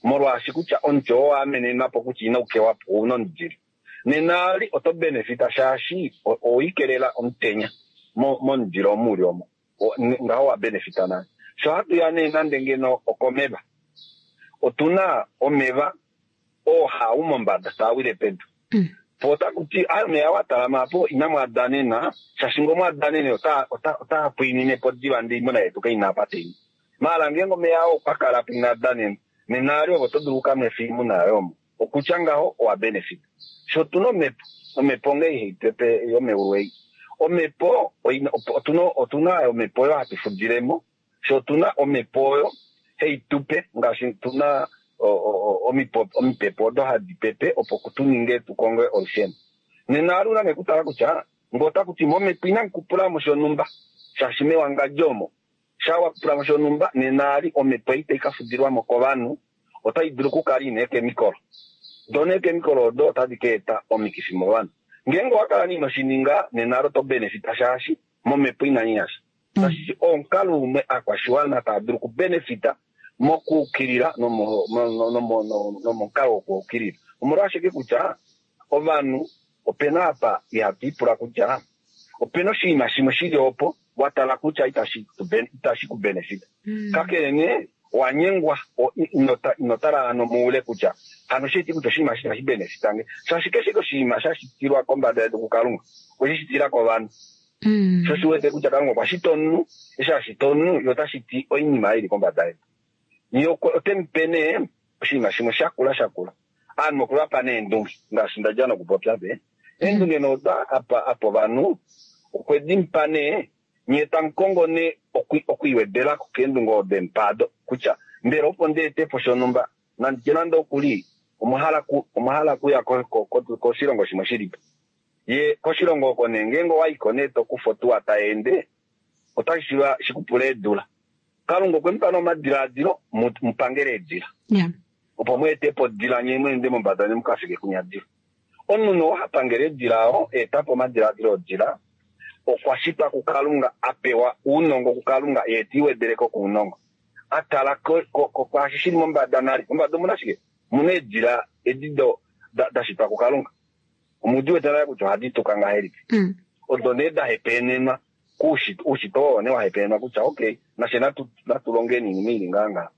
molwaashi kutya omuti oo waamenenwa po kutya inau kewa po, ouna omudile. Nena ali oto benefita shaashi oweikelela omutenya momudile omu uli omo. Ngaho wa benefita nale. Sho hatu ya nee nande ngeno okomeva, otuna omeva oo haa mombada taa wile pedu. Po otaku ti omeya wa talama apo inamu adanena, shaashi ngee omwa danene otaa pwiinine po diva ndee oimuna yetu kaina apa tai nu. Maala ngeenge omeya oo okwa kala po ina danena, nena ali ove oto dulu okukanwefa oimuna yoye omo. Okutya ngaho owa benefita. Sho otuna omhepo, omhepo onghee ihai pepe yomeulu ei. Omhepo otuna omhepo oyo hatu fudilemo. Sho otuna omhepo oyo hai tupe ngaashi tuna omipepo odo hadi pepe opo tuninge tukonge olusheno. Nena ali una nee kutala kutya ngee otaku ti momhepo inamu kupulamo shonhumba shaashi mewangadjo omo shaa wakupulamo shonhumba, nena ali omhepo ei tai kafudilwamo kovanhu otai dulu okukala ina eekemikolo. Doo neekemikolo odo otadi ka eta omikifi movanhu. Ngeenge owakala ino shininga, nena ali oto benefita shaashi momhepo inanyasha. Tashi omukalo umwe aakwashiwana tava dulu okubenefita mokuukilila nomomukalo wokuukilila. Omolwashike kutya ovanhu opena apa ihatu ipula kutya opena oshinima shimwe shili opo watala kutya itashi ku benefita. Kakele nee wanyengwa ino tala hano moule kutya hano sheti kutya oshinima eshi itashi benefita nge. Shaashi keshe oshinima sha shitilwa kombada yedu kuKalunga okweshi shitila kovanhu. Sho shi wete kutya Kalunga okwa shita omunhu, eshi a shita omunhu ye ota shiti oinima ili kombada yedu. Ye ote mu pe nee oshinima shimwe shakula shakula. Aanhu okwe va pa neendunge ngaashi ndadja nokupopya pe. Eendunge nee odo apa ovanhu okwe di mupa nee, nyee tamu kongo nee okwiiwedelako keendunge odo emupa ado kutya mbela opo ndi ete po shonhumba nanditye nande okuli omwa hala okuya koshilongo shimwe shilipo. Ye koshilongo oko nee ngeenge owaiko nee tokufa otuwa tai ende otashi shiiva shikupule eedula. Kalunga okwe mupa nee omadilaadilo mupangele eedila. Opo mu ete po odila nye mweende mombada nye mukafike kunyadila. Omunhu nee oo ha pangele eedila oo eta po omadilaadilo odila okwa shitwa kuKalunga a pewa ounongo kuKalunga ye te iwedeleko kounongo. Atala kwaashi shili mombada nale. Mombada omuna shike? Omuna eedila edi da shitwa kuKalunga. Omudi wete nale kutya ohadi tuka ngahelipi. Odo nee da hepenenwa kuushitwe oo nee wa hepenenwa kutya okay nashe natu longeni oinima ili ngaa ngaa.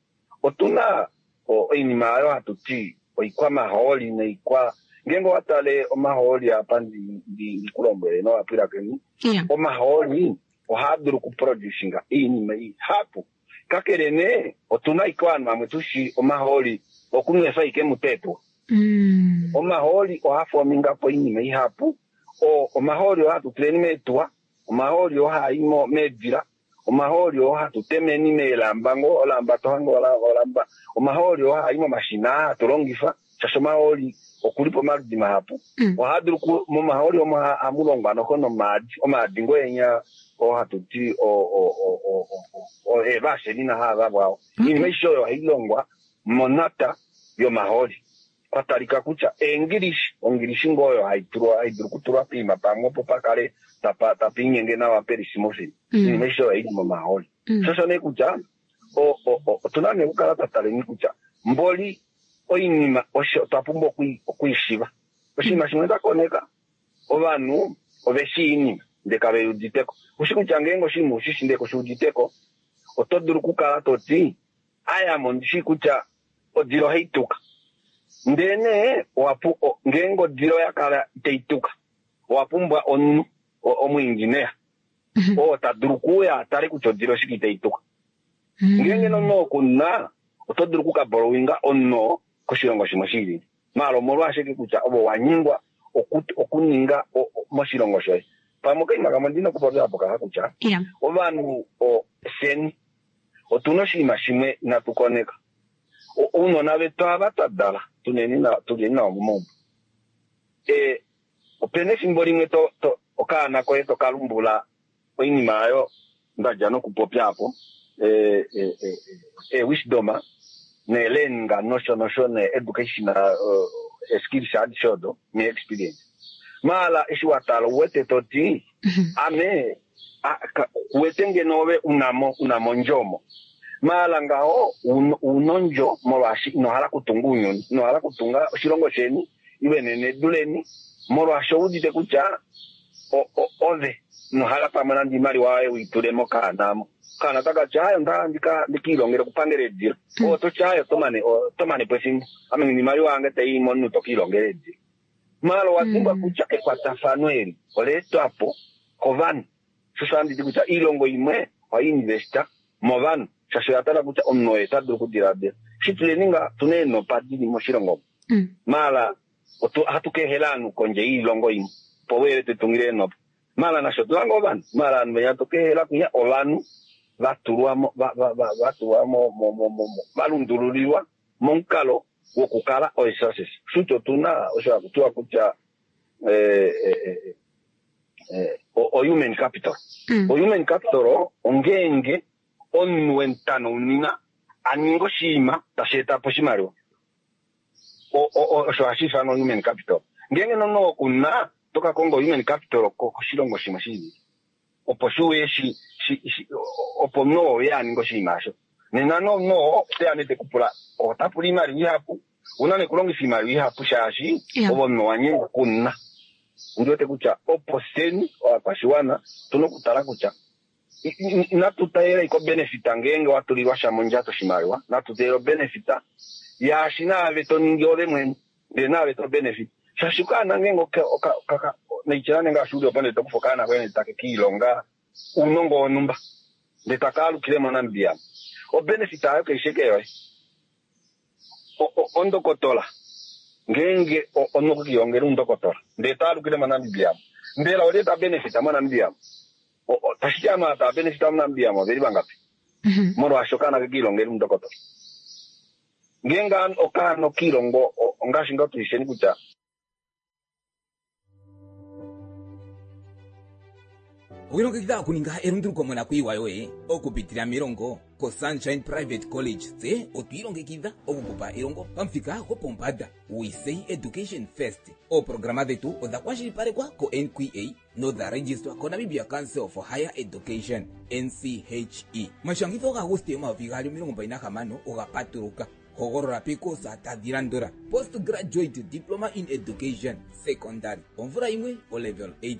Otuna oinima oyo hatu ti oikwamahooli noikwa ngeenge owa tale omahooli apa ndikulombwele novapwilikini, omahooli ohaa dulu okuproducinga oinima ihapu. Kakele nee otuna ashike ovanhu vamwe tushi omahooli okunwefa ashike muteetuwa. Omahooli ohaa fominga po oinima ihapu. Omahooli oo hatu tuleni meetuwa, omahooli oo haa i meedila, omahooli oo hatu temeni meelamba ngoo olamba tohange olamba, omahooli oo haa i momashina aa hatu longifa shaashi omahooli okuli pomaludi mahapu. Ohaa dulu momahooli omo ohamu longwa noho nomaadi, omaadi ngoo enya oo hatu ti eevaselina haa vavwao. Oinima aishe oyo ohai longwa monata yomahooli. Kwa talika kutya eengilishi, ongilishi ngoo oyo hai dulu okutulwa poima pamwe opo pakale tapa inyenge nawa peli smooth. Oinima aishe oyo oili momahooli. Shosho nee kutya otuna nee okukala twa taleni kutya mboli oinima osho twa pumbwa okwiishiva. Oshinima shimwe nda koneka, ovanhu ove shii iinima ndele kave uditeko. Ushi kutya ngeenge oshinima ushishi ndele kushi uditeko, oto dulu okukala to ti aya mo ndishi kutya odila ohai tuka. Ndele nee ngeenge odila oya kala itai tuka, owa pumbwa omunhu omuingineya oo ta dulu okuuya a tale kutya odila oshike itai tuka. Ngeenge nomunhu oo kuna, oto dulu okukaborowinga omunhu oo koshilongo shimwe shi lili. Maala omolwashike kutya ove owa nyengwa okuninga moshilongo shoye. Pamwe okaima kamwe ndina okupopya apo kaha kutya ovanhu fyeni otuna oshinima shimwe inatu koneka. Ounona vetu ava twa dala tuleni navo momaumbo. Opena efimbo limwe okaana koye toka lumbula oinima ayo ndadja nokupopya apo, wisdom neelearning nosho nosho ne-education skills adishe odo ne-experience. Maala eshi wa tala uwete to ti ame kuwete ngeno ove unamo ondjo omo. Maala ngaho una ondjo molwaashi ino hala okutunga ounyuni, ino hala okutunga oshilongo sheni ile nenedu leni, molwaashi ouudite kutya ove ino hala pamwe nande oimaliwa yoye uitule mokaana amo. Okaana otaka ti aye onda hala ndikiilongele okupangela eedila. Oto ti aye oto mane po efimbo. Ame ngeno oimaliwa yange tai i momunhu tokiilongela eedila. Maala owa dimbwa kutya ekwatafano eli ola etwa po kovanhu. Sho osho handi ti kutya oilongo imwe ohai investa movanhu shaashi oya tala kutya omunhu oye ta dulu okudiladila. Eshi tuleni nga tuna eenopa dili moshilongo omu. Maala ohatu ka ehela ovanhu kondje yoilongo imwe opo veye tu tungile eenopa. Maala nasho otuna ngoo ovanhu. Maala ovanhu venya toka ehela kwinya ovanhu va tulwa mo va tulwa mo va lundululilwa momukalo wokukala o-resources. Shuti otuna osho haku tiwa kutya o-human capital. O-human capital ongeenge omunhu wemutanounina a ninga oshinima tashi eta po oshimaliwa. Osho hashi ifanwa human capital. Ngeenge nomunhu oo kuna, oto ka konga human capital koshilongo shimwe shi lili. Opo shi uye opo omunhu oo uye a ninge oshinima osho. Nena nee omunhu oo oteya nee teku pula, ota pula oimaliwa ihapu, una nee okulongifa oimaliwa ihapu shaashi ove omunhu owa nyengwa okunna. Ondi wete kutya opo fyeni ovakwashiwana otuna okutala kutya inatu teelela iko benefit ngeenge wa tulilwa sha mondjato oshimaliwa, natu teelele obenefit yaashi naave to ningi ove mwene ndele naave to benefit. Shaashi okaana ngeenge naitya nande ngaashi uli opo ndele to kufa okaana koye ndele take kiilonga ounongo wonhumba ndele taka alukile moNamibia, obenefit ayo kaishi eke yoye. Ondokotola ngeenge omunhu okwe kiilongela oundokotola ndele ta alukile moNamibia, mbela olye ta benefit moNamibia? Tashi ti ovanhu ava tava benefita moNamibia oveli vangapi? Molwaashi okaana ke kiilongela oundokotola. Ngeenge okaana okiilongo ongaashi ngoo tuisheni kutya Owilongekidha okuninga elunduluko monakwiiwa yoye okupitila melongo koSunshine Private College. Tse otwi ilongekidha okukupa elongo pamuthika gwopombanda. We say education first. Ooprograma dhetu odha kwashilipalekwa ko-NQA nodha registwa koNamibia Council for Higher Education, NCHE. Omashangitho gaAguste 2026 oga patuluka. Hogolola peekosa tadhi landula: Postgraduate Diploma in Education, Secondary, omvula yimwe, olevel 8,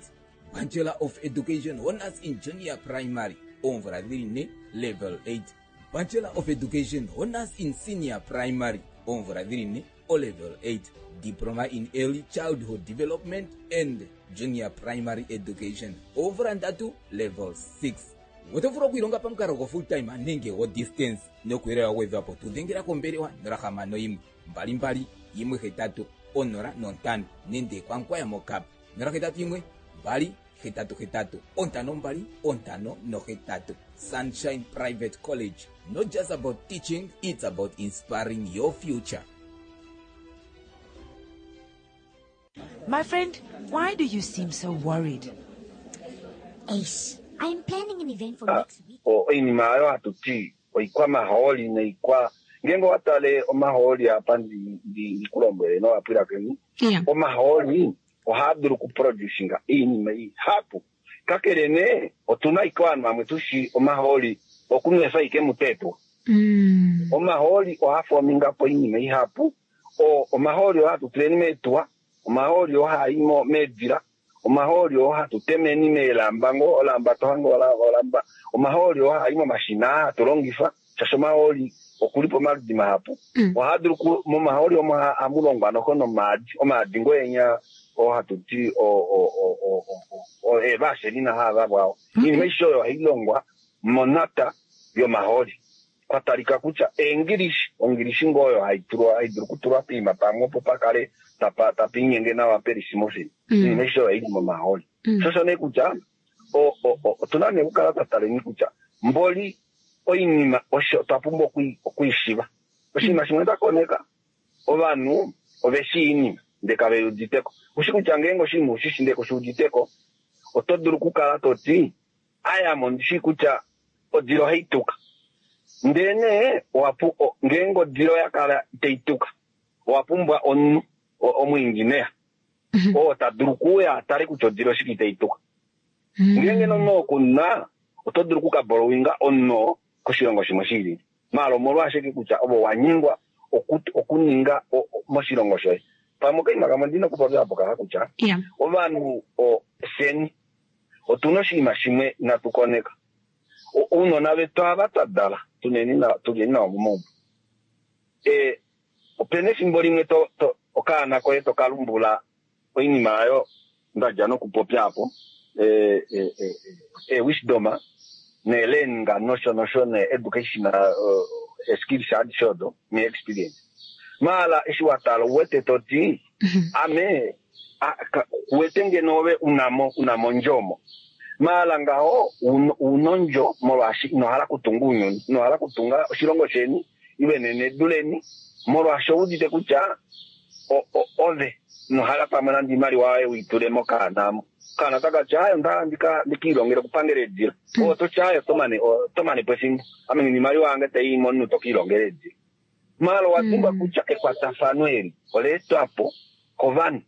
Bachelor of Education Honours in Junior Primary, oomvula dhili ne, level 8, Bachelor of Education Honours in Senior Primary, oomvula dhili ne, olevel 8, Diploma in Early Childhood Development and Junior Primary Education, oomvula ndatu, level 6. Oto vulu okwiilonga pamukalo go full time nenge go distance. Nokuuyelele wa gwedhwa po tu dhengela kombelewa 061 22 18 05 nenge kwaNkwaya moKap 081 2 88 52 58. Sunshine Private College, not just about teaching, it's about inspiring your future. My friend, why do you seem so worried? Ace, I'm planning an event for next week. Oinima oyo hatu ti oikwamahooli noikwa ngeenge owa tale omahooli apa ndi ku lombwele novapwilikini, omahooli ohaa dulu okuproducinga oinima ihapu. Kakele nee, otu na ashike ovanhu vamwe tu shi omahooli. Okunwefa ashike muteetuwa. Omahooli ohaa fominga po oinima ihapu. Omahooli oo hatu tuleni meetuwa, omahooli oo haa i meedila, omahooli oo hatu temeni meelamba ngoo, olamba to hange olamba, omahooli oo haa i momashina aa hatu longifa, shaashi omahooli okuli pomaludi mahapu. Ohaa dulu momahooli omo ohamu longwa noho nomaadi, omaadi ngoo enya oo hatu ti eevaselina haa vavwao. Oinima aishe oyo ohai longwa monata yomahooli. Kwa talika kutya eengilishi, ongilishi ngoo oyo hai tulwa hai dulu okutulwa poima pamwe opo pa kale tapa tapa inyenge nawa peli smooth. Oinima aishe oyo oili momahooli. Sho osho nee kutya otuna nee okukala twa taleni kutya mboli oinima osho twa pumbwa okwiishiva. Oshinima shimwe nda koneka, ovanhu ove shii oinima ndele kave i uditeko. Ushi kutya ngeenge oshinima ushishi ndele kushi uditeko, oto dulu okukala to ti ame ondi shii kutya odila ohai tuka. Ndele nee ngeenge odila oya kala itai tuka, owa pumbwa omunhu, omuingineya, oo ta dulu okuuya a tale kutya odila oshike itai tuka. Ngeenge nomunhu oo ku na, oto dulu oku ka borrowinga omunhu oo koshilongo shimwe shi lili. Maala omolwashike kutya ove owa nyengwa okuninga moshilongo shoye? Pamwe okaima kamwe ndi na okupopya apo kaha kutya ovanhu fyeni otuna oshinima shimwe inatu koneka. Ounona vetu ava twa dala tuleni navo momaumbo. Opena efimbo limwe okaana koye to ka lumbula oinima yayo nda dja nokupopya apo, ee-wisdom nee-learning nosho nosho nee-education ee-skills adishe odo nee-experience. Maala eshi wa tala ouwete to ti ame kuwete ngeno ove unamo unamo ondjo omo. Maala ngaho una ondjo molwaashi ino hala okutunga ounyuni, ino hala okutunga oshilongo sheni ile nenedu leni molwaashi ouudite kutya ove ino hala pamwe nande oimaliwa yoye ui tule mokaana omo. Okaana otaka ti aaye onda hala ndika ilongele okupangela eedila. Ove oto ti aaye oto mane po efimbo. Ame ngeno oimaliwa yange tai i momunhu to ka ilongela eedila. Maala owa dimbwa kutya ekwatafano eli ola etwa po kovanhu.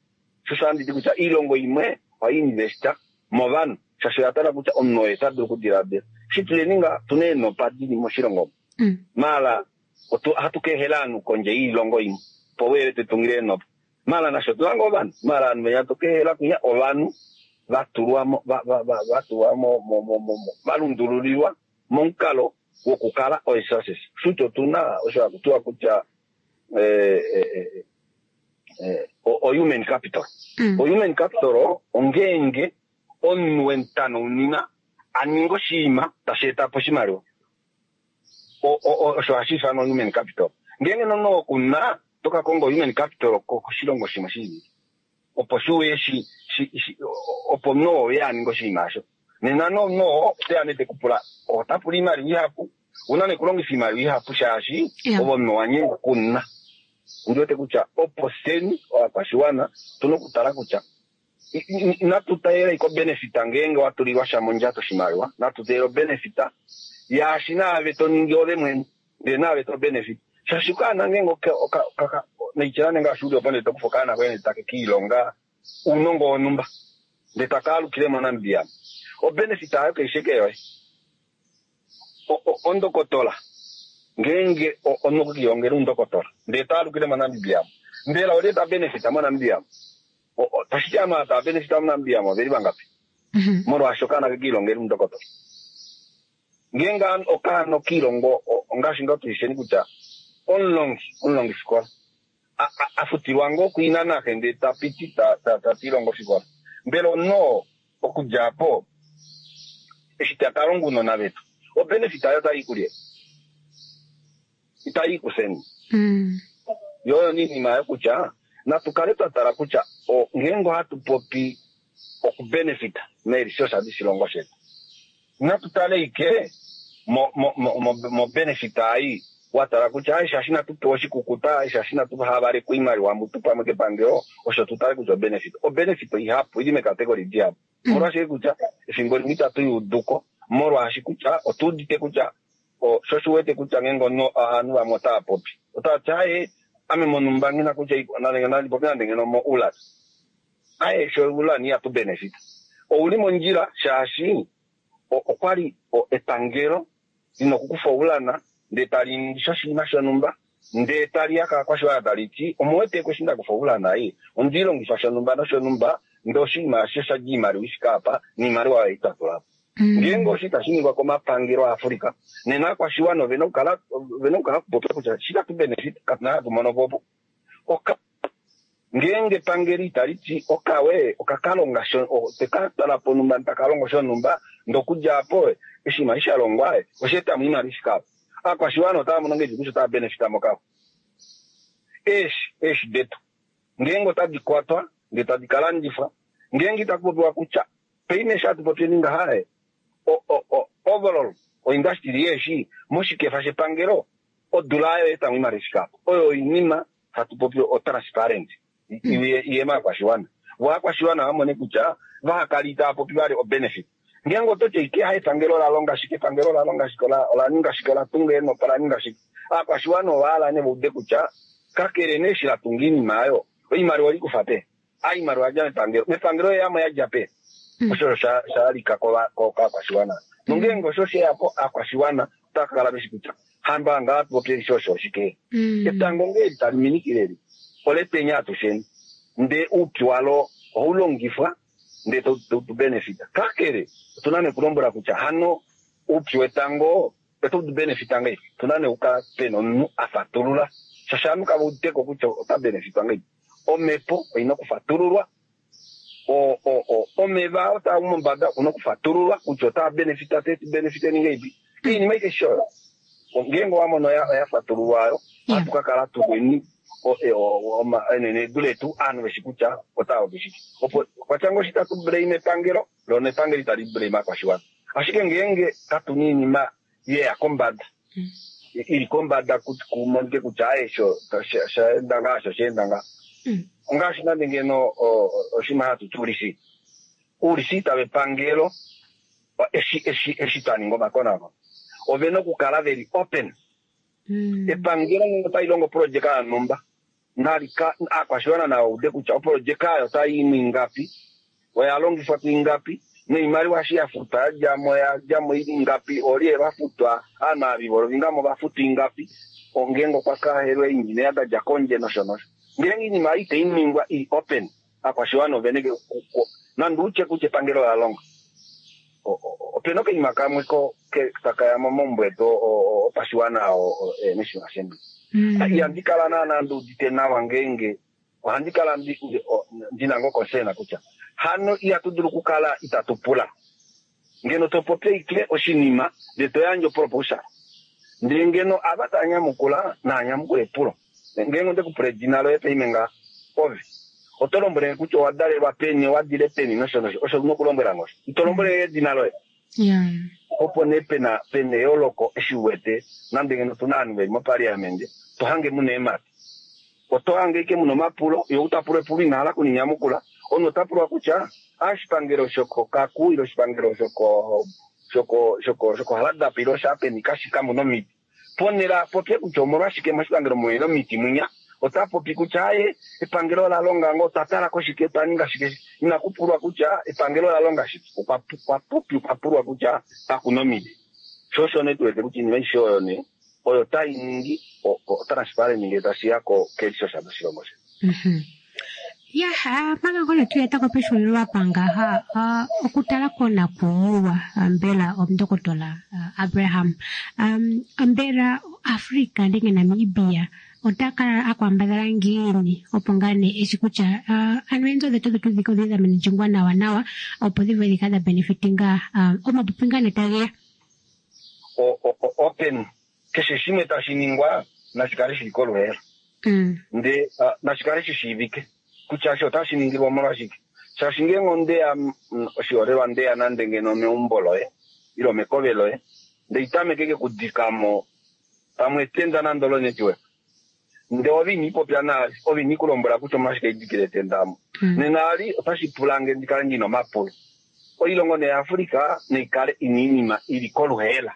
Sho osho handi ti kutya oilongo imwe ohai investa movanhu shaashi oya tala kutya omunhu oye ta dulu okudiladila. Eshi tuleni nga otuna eenopa dili moshilongo omu. Maala ohatu ka ehela ovanhu kondje yoilongo imwe opo veye tu tungile eenopa. Maala nasho otuna ngoo ovanhu. Maala ovanhu venya to ka ehela kwinya ovanhu va tulwa mo va tulwa mo va lundululilwa momukalo wokukala oresources. Shuti otuna osho haku tiwa kutya o-human capital. O-human capital ongeenge omunhu wemutanounina a ninga oshinima tashi eta po oshimaliwa. Osho hashi ifanwa human capital. Ngeenge nomunhu oo kuna, oto ka konga human capital koshilongo shimwe shi lili. Opo shi uye opo omunhu oo uye a ninge oshinima osho. Nena nee omunhu oo oteya nee te ku pula, ota pula oimaliwa ihapu, una nee okulongifa oimaliwa ihapu shaashi ove omunhu owa nyengwa okunna. Ondi wete kutya opo fyeni ovakwashiwana otuna okutala kutya inatu teelela ashike obenefit ngeenge wa tulilwa sha mondjato oshimaliwa, natu teelele obenefit yaashi naave to ningi ove mwene ndele naave to benefit. Shaashi okaana ngeenge noitya nande ngaashi uli opo ndele to kufa okaana koye ndele take kiilonga ounongo wonhumba ndele taka alukile moNamibia, obenefit ayo kai shi eke yoye. Ondokotola ngeenge omunhu okwe kiilongela oundokotola ndele ta alukile moNamibia, mbela olye ta benefita moNamibia? Tashi ti ovanhu ava tava benefita moNamibia oveli vangapi? Molwaashi okaana ke kiilongela oundokotola. Ngeenge okaana okiilongo ongaashi ngoo tushisheni kutya omulongi, omulongifikola a futilwa ngoo kuina naxe ndele ta piti ta tilongo ofikola, mbela omunhu oo okudja apo eshi ta ka longa ounona vetu, obenefit ayo otai i kulye? Itai i kufyeni. Yo oyo nee oinima oyo kutya natu kale twa tala kutya ngeenge ohatu popi okubenefita meeresource doshilongo shetu, natu tale ike mobenefit ai wa tala kutya ai shaashi inatu pewa oshikukuta, ai shaashi inatu havalekwa oimaliwa mutu pamwe kepangelo, osho tu tale kutya obenefit. Obenefit oihapu, ili meekategori dihapu. Omolwashike kutya efimbo limwe itatu i uduko, molwaashi kutya otu udite kutya sho shi wete kutya ngeenge ovanhu vamwe otava popi, otava ti aye ame monhumba nghi na kutya nandi popi nande ngeno moUlan. Aye sho Ulan ihatu benefit. Ouli mondjila shaashi okwali epangelo. Lina okukufa oulana ndee tali ningi sha oshinima shonhumba ndee tali ya kaakwashiwana tali ti omuwete ko eshi nda kufa oulana ei onde i longifa shonhumba noshonhumba ndee oshinima eshi osha dja oimaliwa i fike apa noimaliwa oyo ei twa tula po. Ngeenge osho itashi ningwa komapangelo aAfrica nena aakwashiwana ovena okukala ovena okukala okupopya kutya eshi itatu benefit katu na hatu mono po opo. Oka Ngeenge epangelo itali ti okawe oka ka longa teka twala ponhumba taka longo shonhumba ndee okudja apo oshinima eshi sha longwa osha etamo oimaliwa i fike apa. Aakwashiwana otava mono ngahelipi kutya otava benefita mokawe? Eeshi, eeshi detu ngeenge otadi kwatwa ndee tadi ka landifwa, ngeenge itaku popiwa kutya paine eshi hatu popyeni ngaha overall oindustry yeeshi moshikefa shepangelo odula oyo etamo oimaliwa i fike apa. Oyo oinima hatu popi otransparent iye maakwashiwana vo aakwashiwana va mone kutya vahakale itava popi vali obenefit. Ngeenge oto ti ashike ha epangelo ola longa shike, epangelo ola longa shike, ola ninga shike, ola tunga eenhopa, ola ninga shike, aakwashiwana ova hala nee va ude kutya kakele nee eshi la tunga oinima oyo, oimaliwa oli kufa peni? A oimaliwa oya dja mepangelo, mepangelo oye yamo ya dja peni? Osho osho sha lalika kaakwashiwana. Nongeenge osho oshe ya po, aakwashiwana otava ka kala veshi kutya hamba ngaa tu popye eshi osho oshike. Etango ngee eli tali minikile eli, oletenya atusheni, ndee oupyu walo ohau longifwa ndee tau tu benefita. Kakele, otu na nee okulombwela kutya hano oupyu wetango otau tu benefita ngahelipi? Otu na nee okukala pena omunhu a fatulula, shaashi ovanhu kava udite ko kutya ota benefitwa ngahelipi. Omhepo oina okufatululwa, omeva oo taa u mombada okuna okufatululwa kutya otaa benefita te tu benefiteni ngahelipi. Oinima aishe oyo ngeenge owa mono oya fatululwa oyo, ohatu ka kala tuneni enenedu letu ovanhu veshi kutya otava popi shike. Opo kwatya ngoo eshi tatu blame epangelo, lo nepangelo itali blame aakwashiwana. Ashike ngeenge katuna oinima yeya kombada, ili kombada kumonike kutya aye sho osha enda ngaa osho osha enda ngaa. Ongaashi nande ngeno oshinima hatu ti oulisita. Oulisita vepangelo eshi eshi eshi twa ninga omakonakono ovena okukala veli open. Epangelo ngenge otali longo oprojeka yonhumba nalika aakwashiwana nava ude kutya oprojeka oyo otai i ingapi, oya longifwa kuingapi, noimaliwa eshi ya futwa yadjamo oyadjamo ili ingapi, oolye va futwa, ovanhu ava vivolovinga mo va futwa ingapi, ngeenge okwa ka helwa eeindjineya da dja kondje nosho nosho. Ngeenge oinima oyo itai ningwa ili open, aakwashiwana ovene nande utye kutya epangelo ola longa, opena okainima kamwe taka ya momaumbo etu opashiwana National Assembly. Ihandi kala naana ndi udite nawa ngeenge ohandi kala ndina ngoo concern kutya hano ihatu dulu okukala itatu pula. Ngeno to popi ashike oshinima ndee to yandje oproposal, ndee ngeno ava tava nyamukula naa nyamukule epulo. Ngeenge onde ku pula edina loye paime ngaha, ove oto lombwele nge kutya owa dalelwa peni, owa dile peni nosho nosho. Osho u na okulombwela nge osho. Ito lombwele nge edina loye. Opo nee pena pena eyooloko eshi u wete nande ngeno otu na ovanhu ve li mopaliamende, to hange mu na eemhata. Oto hange ashike mu na omapulo, ye ou ta pulwa epulo ina hala okulinyamukula. Omunhu ota pulwa kutya, a oshipangelo shokOkaku ile oshipangelo shoko shoko shoko shokOhardap ile oshaapeni kashi kamu na omiti. Ponhele a popye kutya omolwashike moshipangelo muhe na omiti mwinya, ota popi kutya aaye, epangelo ola longa ngoo, otwa tala ko shike, otwa ninga shike. Inaku pulwa kutya epangelo ola longa shike, okwa popi okwa pulwa kutya kaku na omiti. Sho osho nee tu wete kutya oinima aishe oyo nee oyo tai ningi otransparent ngee tashi ya kelisosha loshilongo shetu. Ya, mpaka ngoo tu eta ko pexulilo apa ngaha, okutala konakuyiwa mbela omundokotola Abraham, mbela Africa nenge Namibia ota kala a kwambadhala ngiini opo ngaa nee eshi kutya ano eenzo dhetu dhetu dhika odhili dha managingwa nawa nawa opo dhi vule dhi kale dha benefitinga omapupi ngaa nee tage ya? Open keshe shimwe tashi ningwa nashi kale shili koluheela. Ndee nashi kale shi shiivike kutya osho otashi ningilwa omolwashike. Shaashi ngeenge ondeya, oshiholelwa ndeya nande ngeno meumbo loye ile omekove loye, ndee itameke ke kudika mo pamwe etenda nande olonetiweka, ndee ove ino ipopya naali, ove ino ikulombwela kutya omolwashike idikile etenda omo, nena ali otashi pula nge ndi kale ndina omapulo. Oilongo nee yaAfrica naikale ina oinima ili koluheela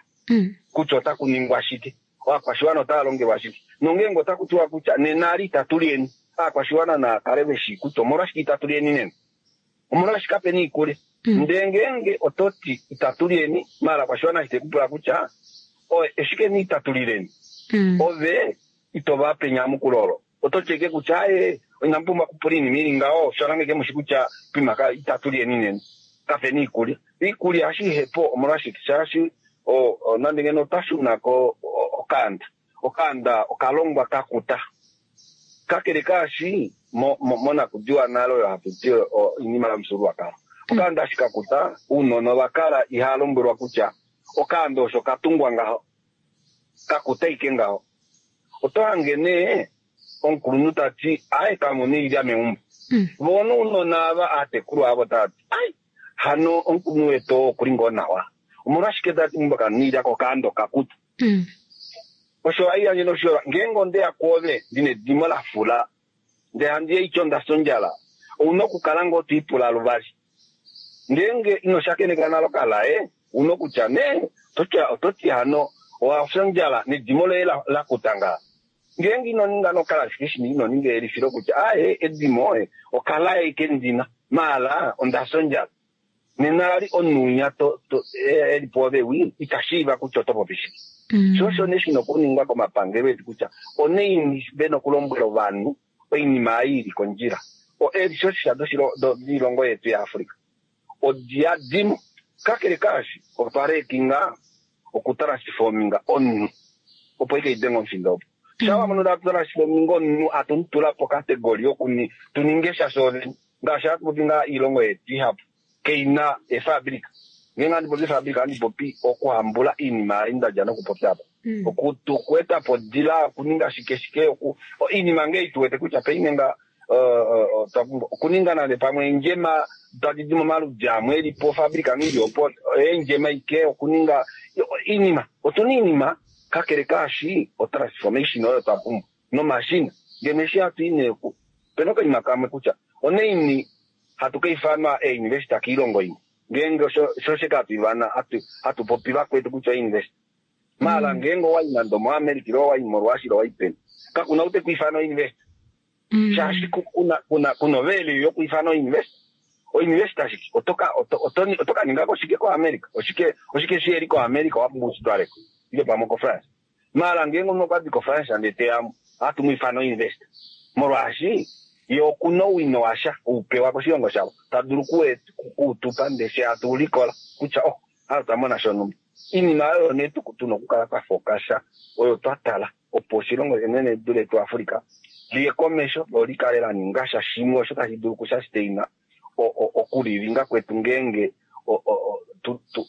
kutya otaku ningwa shike. Ovakwashiwana otava longelwa shike? Nongeenge otaku tiwa kutya nena ali itatu lyeni, ovakwashiwana nava kale ve shii kutya omolwashike itatu lyeni nena. Omolwashike kape na oikulya? Ndele ngeenge oto ti itatu lyeni, maala ovakwashiwana eshi te ku pula kutya Eshike ni itatu lileni? Ove ito va pe enyamukulo olo. Oto ti ashike kutya, Aaye, inamu pumbwa okupula oinima i li ngaho, osha lange mushi kutya poima itatu lyeni nena. Kape na iikulya. Iikulya eshi ihe po omolwashike? Shaashi nande ngeno otwa shuna ko okaanda, okaanda oka longwa ka kuta. Kakele kaashi, monakudiwa nale oyo hatu ti oinima yomufyuululwakalo, okaanda eshi ka kuta, ounona ova kala ihava lombwelwa kutya okaanda osho ka tungwa ngaho, ka kuta ashike ngaho. Oto hange nee omukulunhu ta ti, Ai, kamu na oilya meumbo. Voo nounona ava aatekulwa avo tava ti, Ai, hano omukulunhu wetu oo okuli ngoo nawa. Omolwashike ta ti meumbo kamu na oilya ko okaanda okakuta? Osho ohai yandje noshiholelwa, ngeenge onde ya kwoove ndi na edimo la fula, ndele handi ya aitye onda fya ondjala, ou na okukala ngoo to ipula luvali. Ngeenge ino shakeneka nale okalaye, ou na okutya nee, oto ti hano owa fya ondjala nedimo loye la kuta ngaa. Ngeenge ino ninga nokalaye, ashike eshi ino ninga eyelifilo kutya aaye edimo okalaye ike ndina, maala onda fya ondjala. Nena vali omunhu winya e li pwoove wi ita shiiva kutya oto popi shike. Sho osho nee shi na okuningwa komapangelo etu kutya onaini ve na okulombwela ovanhu oinima ei i li kondjila. Eeresources doilongo yetu yaAfrica odi yadimo. Kakele kaashi, otwa lekinga okutransforminga omunhu opo ike idenge omufindo opo. Sha wa mono tatu transforminga omunhu atu mu tula pokategori yoku tu ninge sha shoovene. Ngaashi hatu popi ngaa iilongo yetu ihapu kai na eefabrika. Ngeenge handi popi eefabrika ohandi popi okuhambula iinima ei nda dja nokupopya apa. Okueta po odila, okuninga shike shike, oinima ngee tu wete kutya paife nga otwa pumbwa okuninga nande pamwe eendjema tadi di momaludi amwe e li po, ofabrika ngee ili opo, eendjema ike, okuninga oinima. Otu na oinima, kakele kaashi otransformation oyo twa pumbwa nomashina. Ngeno eshi hatu i nee ku, opena okaima kamwe kutya onaini hatu ka ifanwa eeinvesita koilongo imwe. Ngeenge osho osho hatu ivana, hatu popi vakwetu kutya oinvesita. Maala ngeenge owa i nande omoAmerica ile owa i moRussia ile owa i peni, kaku na ou te ku ifana oinvesita. Shaashi ku na ovelue yoku ifana oinvesita. Oinvesita shike? Oto ka ninga ko shike koAmerica? Oshike shi eli koAmerica owa pumbwa u shi twale ko? Ile pamwe okoFrance. Maala ngeenge omunhu okwa di koFrance ndele te ya mo, ohatu mu ifana oinvesita. Molwaashi ye oku na owino washa, ou pewa koshilongo shavo, ta dulu oku u tu pa ndele fye hatu u likola kutya oh, hala otwa mona shonhumba. Iinima oyo nee tu na okukala twa fokasha oyo twa tala opo oshilongo enenedu letu Africa liye komesho lo li kale la ninga sha shimwe osho tashi dulu okushasteina okulilinga kwetu ngeenge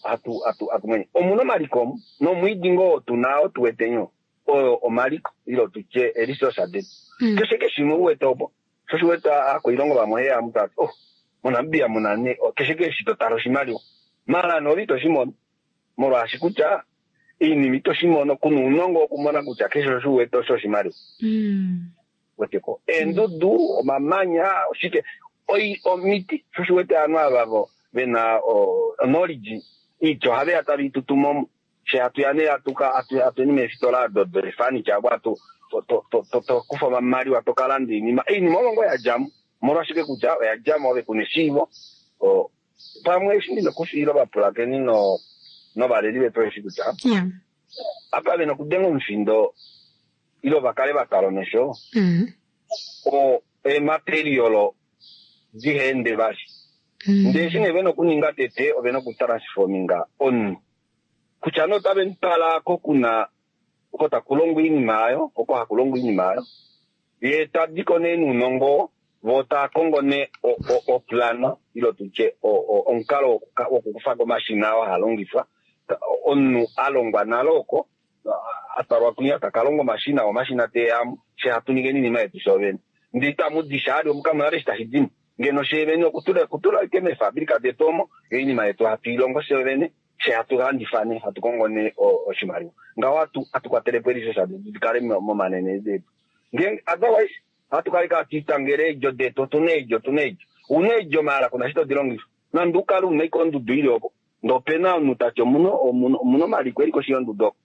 hatu mwenye. Omu na omaliko omu nomwiidi ngoo tu na oo tu wete nyo oyo omaliko ile tutye eresource detu. Keshe keshimwe u wete opo sho shi wete aakoilongo vamwe oye ya tava ti oh moNamibia muna nee keshe eshi to tala oshimaliwa maala noove ito shi mono molwaashi kutya oinima ito shi mono kuna ounongo wokumona kutya keshe osho u wete osho oshimaliwa. Weteko eendudu, omamanya, oshike omiti sho shi wete ovanhu ava ve na knowledge oiti ohave ya tave i tutu mo. Fye hatu ya nee hatuyeni meefitola odo deefurniture oko hatu to kufa omamaliwa to ka landa oinima. Oinima omo ngoo ya dja mo. Omolwashike kutya oya dja mo ove kuna eshiivo. Pamwe eshi ndi na okufiila ovapulakeni novaleli vetu osheshi kutya apa ve na okudenga omufindo ile va kale va tala omesho eematerial diha ende vali. Ndele eshi nee ve na okuninga tete ove na okutransforminga omunhu. Kutya nee otave mu twala ko kuna oko taku longwa oinima oyo, oko haku longwa oinima oyo, ye ta di ko nee nounongo, vo tava kongo nee oplana ile tutye omukalo wokukufa ko omashina oo haa longifwa, omunhu a longwa nale oko, a twalwa kwinya taka longa omashina, omashina te ya mo, fye hatu ningeni oinima yetu shoovene. Ndee itamu di sha ali omu kamu nale eshi tashi di mo. Ngeno shoovene okutula ashike meefabrika detu omo, oinima yetu hatu i longo shoovene, fye hatu landifa nee, hatu kongo nee oshimaliwa. Ngaho hatu kwatele po eresource detu di kale momanenendu etu. Ngeenge otherwise ohatu kala ashike hatu itangele eedjo detu, otu na eedjo, otu na eedjo. Ou na eedjo maala ku na eshi to di longifa. Nande u kale u na ashike ondudu i li opo, ndee ope na omunhu ta ti omu na omaliko e li koshi yondudu oko,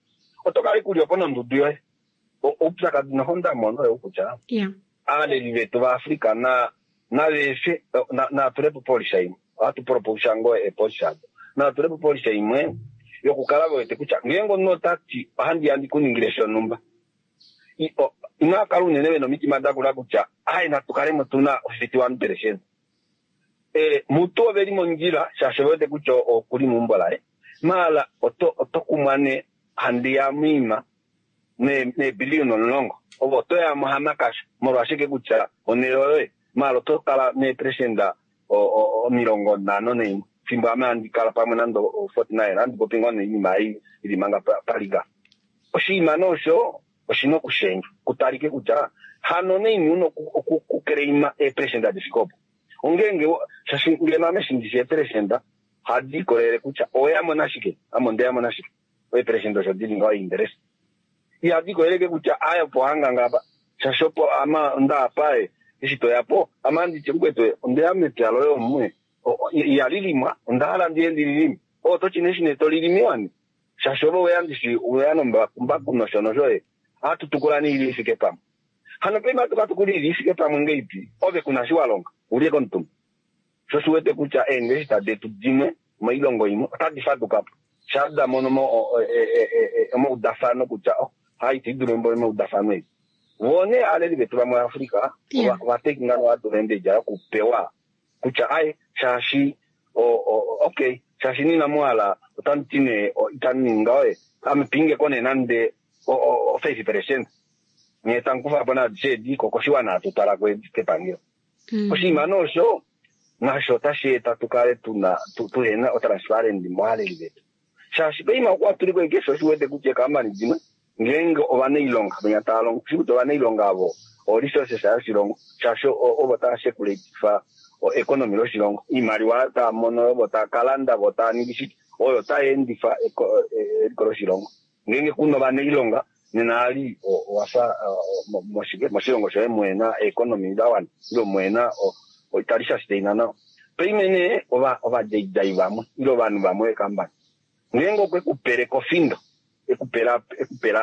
oto kala ashike u li opo nondudu yoye. Oupyakadi noho nda mona oyou kutya aaleli vetu vaAfrica nave efe nava tule po opolisa imwe. Ohatu propose ngoo eepolisa odo. Nava tule po opolisa imwe. yokukala ve wete kutya ngeenge omunhu ota ti ohandi ya ndi ku ningile shonhumba, inava kala unene ve na omitima da kula kutya ai natu kalemo tu na 51%. Mutu ove li mondjila shaashi ove wete kutya okuli meumbo laye, maala oto kumwa nee handi ya moima neebiliyona 10 ovo oto ya mo hamakasha molwashike kutya onhele oyoye, maala oto kala neeperesenda 51 fimbo ame handi kala pamwe nande 49. Handi popi ngoo noinima ei ili manga paliga. Oshinima nee osho oshina okushendjwa kutalike kutya hano nee una okuclaima eeperesenda difike opo. Ongeenge shaashi ngeno ame eshi ndishi eeperesenda ohadi ikolelele kutya oweya mo nashike, ame ondeya mo nashike. Eeperesenda osho dili ngaho interest. Ihadi ikoleleke kutya aye opo hanganga apa, shaashi opo ame onda apa eshi toya po ame ohandi ti mukwetu ondeya mepya loye omu ihali limwa, onda hala ndiye ndi lilime. Oto ti nee eshi nee to lilimiwa nee shaashi ove oweya ndishi oweya nombakumbaku nosho nosho ohatu tukula nee ili ifike pamwe. Hano paife ohatu ka tukula ili ifike pamwe ngeipi ove kuna shi wa longa ulye komutumba. Sho shi wete kutya eengeshefa detu dimwe moilongo imwe otadi faduka po sha da mono omaudafano kutya hai ita idulu embo omaudafano eli. Vo nee aaleli vetu vamwe Afrika ova taking advantage yokupewa kutya ai shaashi okay shaashi nina muhala otamu ti nee itamu ningi ngaho ame pinge ko nee nande 5% nyee tamu kufa po naadishe edi ko koshiwana hatu twala ko edi kepangelo. Oshinima nee osho nasho otashi eta tu kale tuna tuhena otransparent movaleli vetu shaashi poima okwa tuliko keshe oshi wete kutya eekambani dimwe ngeenge ovanailonga venya tava longo shi kutya ovanailonga avo o resources yoshilongo shaashi ovo tava sekulatifa economy loshilongo, oimaliwa tava mono ovo tava kalanda vo tava ningi shike oyo tai endifa eliko loshilongo. Ngeenge kuna ovanailonga nena ali owafa moshike moshilongo shoye muhena economy da wana ile muhena itali sustain nawa. Paime nee ovadjaidjai vamwe ile ovanhu vamwe vekambani ngeenge okwe kupele kofindo ekupela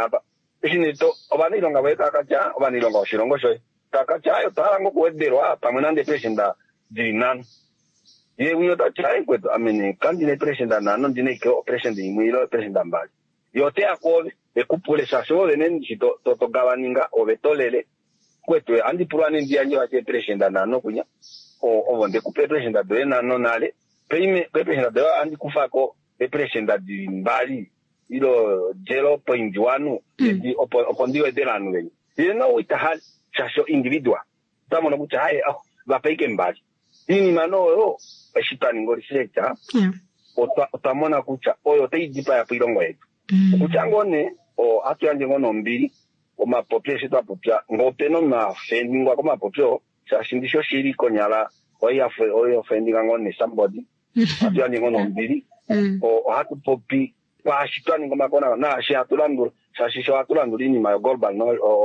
apa eshi nee ovanailonga voye tava katya ovanailonga voshilongo shoye tava katya ayo otwa hala ngoo okuwedelwa pamwe nande eeperesenda dili 5. Ye winya otati aye kwetu ame nee kandina eeperesenda 5 ondina ashike operesenda imwe ile eeperesenda 2. Ye oteya kwoove ekupule shaashi ove nee ndishi togavaninga ove tolele kwetu ohandi pulwa nee ndi yandje vati eeperesenda 5 kunya ovo ndekupa eeperesenda doye 5 nale paime keeperesenda doye ohandi kufako eeperesenda dili 2 ile 0.1 opo ndi wedele ovanhu venya. Ye no ita hali shaashi individual ota mono kutya aye vape ashike 2. Iinima nee oyo eshi twa ninga research otwa mona kutya oyo otai dipaya po oilongo yetu. Okutya ngoo nee ohatu yandje ngoo nombili omapopyo eshi twa popya ngoo opena omafendingwa komapopyo shaashi ndishi oshili konyala oyo ofendinga ngoo nee somebody. Ohatu yandje ngoo nombili ohatu popi kwaashi twa ninga omakonakono naashi hatu landula shaashi sho hatu landula oinima yo global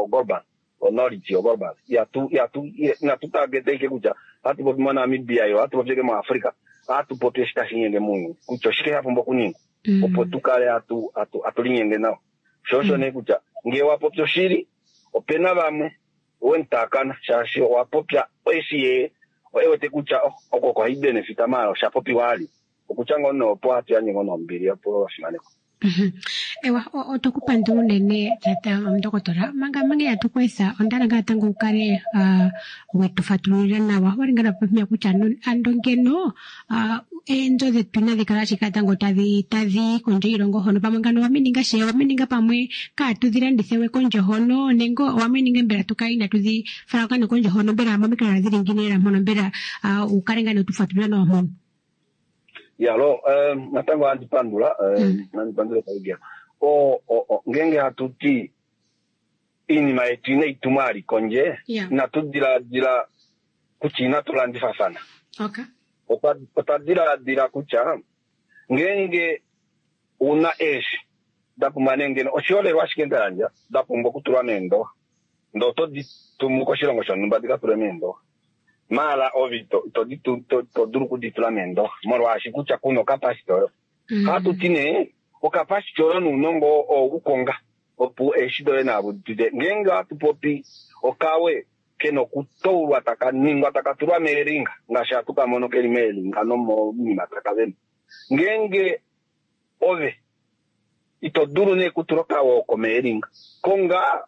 global knowledge yo global inatu target ashike kutya ohatu popi moNamibia yo ohatu popi ashike muAfrica, ohatu popi eshi tashi nyenge mounyuni kutya oshike sha pumbwa okuningwa opo tu kale hatu linyenge nawa. Sho osho nee kutya ngee wa popya oshili opena vamwe wemutakana shaashi owa popya eshi ye ewete kutya oko oko haibenefita maala osha popiwa ali. Okutya ngoo nee opo hatu yandje ngoo nombili opo wafimanekwa. Ewa, otokupandula unene tata omundokotola. Manga manga ihatu ku etha, onda hala ngaa natango u kale wetu fatululila nawa. Owali ngaa napopya kutya ando ngeno eenzo dhetu inadhi kala ashike natango tadhi tadhi kondje yiilongo hono, pamwe ngano owamininga she, owamininga pamwe kaatu dhi landithe we kondje hono, nenge owamininga mbela tu kale inatu dhi fala kane kondje hono, mbela momikalo dhili ngiini lela mpono, mbela u kale ngaa netu fatululila nawa mpono. Yalo, natango ohandi pandula, handi pandula paigelo. Ngeenge hatu ti iinima yetu inayi tumwa ali kondje, inatu diladila kutya inatu landifafana. Otwa diladila kutya ngeenge una eeshi da pumbwa nee ngeno oshiholelwa ashike nda yandja da pumbwa okutulwa meendoha, ndee oto di tumu koshilongo shonhumba di ka tulwe meendoha, maala ove ito dulu okuditula meendoha molwaashi kutya kuna okapasiti oyo. Ohatu ti nee okapasiti oyo nounongo oo ukonga opo eeshi doye naavo dide. Ngeenge ohatu popi okawe kena okutoulwa taka ningwa taka tulwa meelinga ngaashi hatu ka mono keli meelinga nomoinima taka vema. Ngeenge ove Ito dulu nee kutula okawe oko meelinga. Konga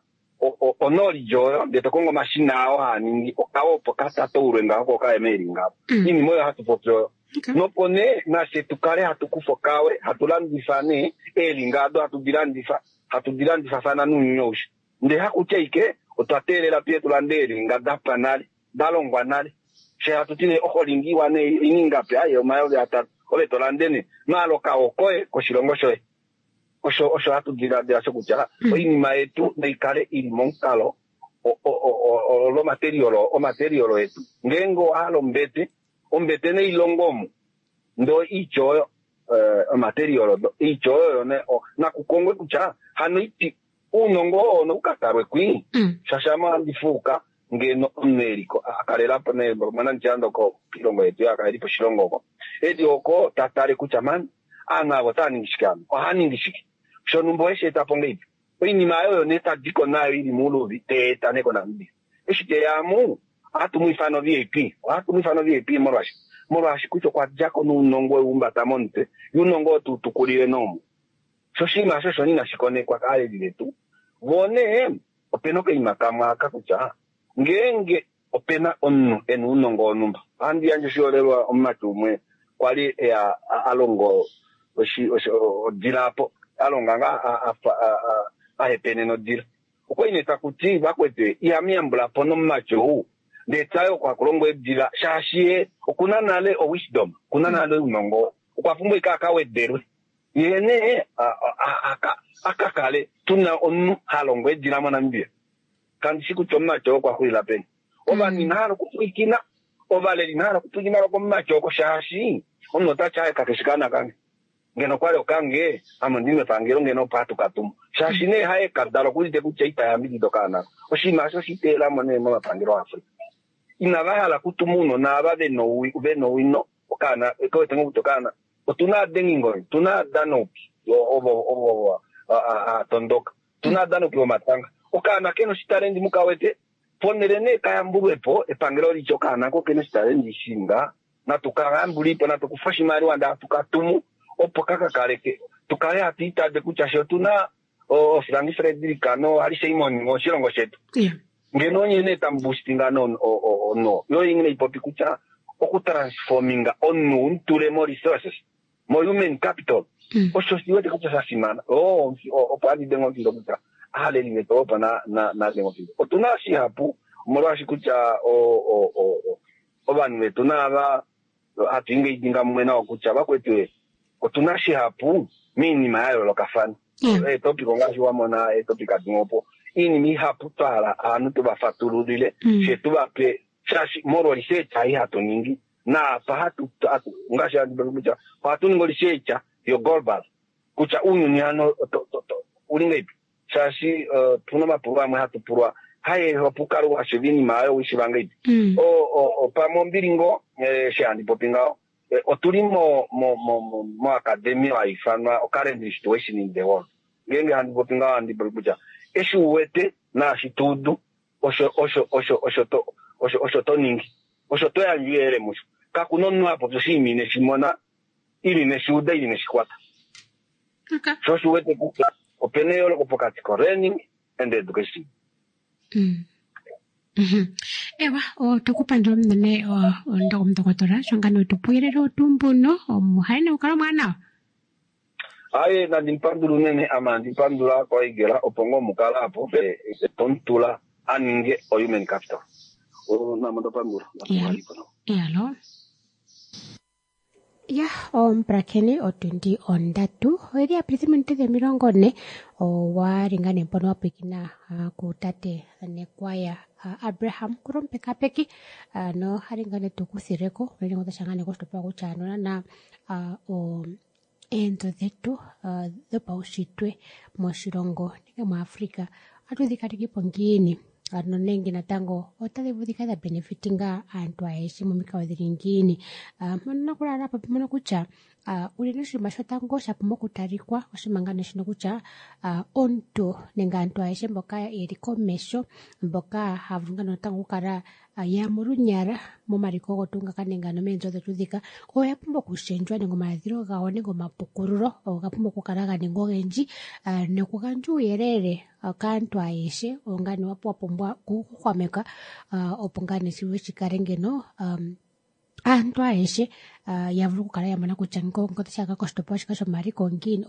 knowledge oyo ndee to kongo omashina ao haa ningi okawe opo ka tatoulwe ngaho ko kaye meelinga apo. Iinima oyo hatu popi oyo. Nopo nee nafye tu kale hatu kufa okawe hatu landifa nee eelinga ado hatu di landifa hatu di landifafana nounyuni aushe. Ndee hakutya ashike otwa teelela tuye tu lande eelinga da pwa nale, da longwa nale. Fye hatu ti nee oholinga iwa nee oina ingapi? Aaye 3000. Ove to lande nee maala okawe okoye koshilongo shoye. Osho osho hatu diladila shokutya oinima yetu nai kale i li momukalo lomaterial etu. Ngeenge owa hala ombete, ombete nei longo omo ndee oitya oyo omaterial odo oitya oyo nakukongwe kutya hano oiti ounongo oo nou ka talwe kwii shaashi ame ohandi fuuka ngeno omunhu eliko a kalelapo nee mwanandjando oko koilongo yetu yakalelipo oshilongo oko eli oko ta tale kutya man aanhu ava otava ningi shike ano ohaa ningi shike shonhumba oheshi eta po ngahelipi oinima oyo nee tadiko nayo ili mouluvi teeta nee koNamibia eshi teya amu ohatu mu ifana VIP ohatu mu ifana VIP molwaashi molwaashi kutya okwa djako nounongo weumbata momutwe ounongo oo tuutukulile nomu sho oshinima osho osho inashi konekwa kaaleli vetu voo nee opena okaima kamwe aka kutya ngeenge opena omunhu ena ounongo wonhumba ohandi yandje oshiholelwa omumati umwe kwali eya a longo odila apo alonga ngaa ahepenena odila okwali nee takuti vakwetu ihamu yambulapo nomumati ou ndee taye oko hakulongwa eedila shaashi ye okuna nale owisdom okuna nale ounongo okwa pumbwa ashike akawedelwe ye nee akakale tuna omunhu ha longo eedila moNamibia. Kandi shi kutya omumati oo okwa xulila peni. Ovanhu inahala okupwilikina, ovaleli inahala okupwilikina komumati oko shaashi omunhu otati aye kakeshi kaana kange. Ngeno okwali okange, ame ondi mepangelo ngeno opo hatu ka tumu. Shaashi nee haye kadala okuudite kutya ita yambidida okaana ako. Oshinima osho oshiteelamo nee momapangelo aAfrica. Inava hala okutuma ounona ava vena owino okaana, kewete ngoo kutya okaana. Otuna aadengingonyo, otuna aadanauki ovo ovo haatondoka, otuna aadanauki vomatanga. Okaana kena oshitalenti mukawete, ponhele nee kayambulwepo epangelo litye okaana ko kena oshitalenti shinga, natu kayambulipo, natu kufa oshimaliwa ndee hatu katumu opo kakakaleke tukale hatu itade kutya fye otuna Frank Frederick no Harry Simon moshilongo shetu. Ngeno onye nee tamu boostinga no yo inge ipopi kutya okutransforminga omunhu umutule mo resources mo human capital osho shiwete kutya sha fimana. Opo handi denge omufindo kutya aaleli vetu opo na denge omufindo. Otuna shihapu omolwaashi kutya ovanhu vetu naava hatu engaging mumwe nao kutya vakwetu otuna shihapu miinima ya yoolokafana. Eetopic ongaashi wa mona eetopic dimwe opo iinima ihapu twa hala aanhu tuva fatululile fye tuvape shaashi molwa research ai hatu ningi naapa hatu ngaashi handi popi kutya ohatu ningi research yo global kutya ounyuni hano uli ngahelipi shaashi tuna omapulo amwe hatu pulwa haye opo ukale washiiva iinima oyo uishiiva ngahelipi. Pamwe ombili ngoo eshi handi popi ngaho otuli mo academy hayi ifanwa current situation in the world. Ngeenge handi popi ngaho handi popi kutya eshi uwete naashi tuudu osho osho osho osho to osho osho to ningi osho to yandja ouyelele musho. Kakuna omunhu ha popi oshinima ineshi mona ili ineshi uda ili ineshi kwata. Sho osho uwete kutya opena eyooloko pokati ko learning and education. Ewa, otukupandula unene omudokotola sho ngano tupuyelele otumbuno omuhaine ukala omwaanawa. Aye nandi mupandula unene ame handi pandula kwaigela opo ngoo mukala apo tomutula aninge o human capital. Namo ndapandula. Iyalo. Ya omupulakeni otundi 3 oyeli ya pita ominute 40 owa li ngaa nee mpono wa pwiikina kutate Nekwaya Abraham kulomupekapeki no hali ngaa nee tukuthileko unene ngo ngaa nee koshitopolwa kutya nonana eenzo dhetu dhopaushitwe moshilongo nenge muAfrica ohatu dhi kalekepo ngiini ano nenge natango otadhi vulu dhikale dha benefitinga aantu ayehe momikalo dhili ngiini. Mpono nakulala popi mono kutya unene oshinima shotango sha pumbwa okutalikwa oshinima ngaa nee shino kutya omuntu nenge aantu ayehe mboka yeli komesho mboka haya vulu ngaa natango okukala ya molunyala momaliko ogo tuu ngaka nenge ano meenzo odho tuu dhika oya pumbwa okushendjwa nenge omaladhilo gawo nenge omapukululo oga pumbwa okukala ga ningwa ogendji nokugandja uuyelele kaantu ayehe ongane wa pumbwa okuhwameka opo ngaa nee shi kale ngeno aantu ayehe ya vulu okukala ya mona kutya ngoka koshitopolwa shika shomaliko ongiini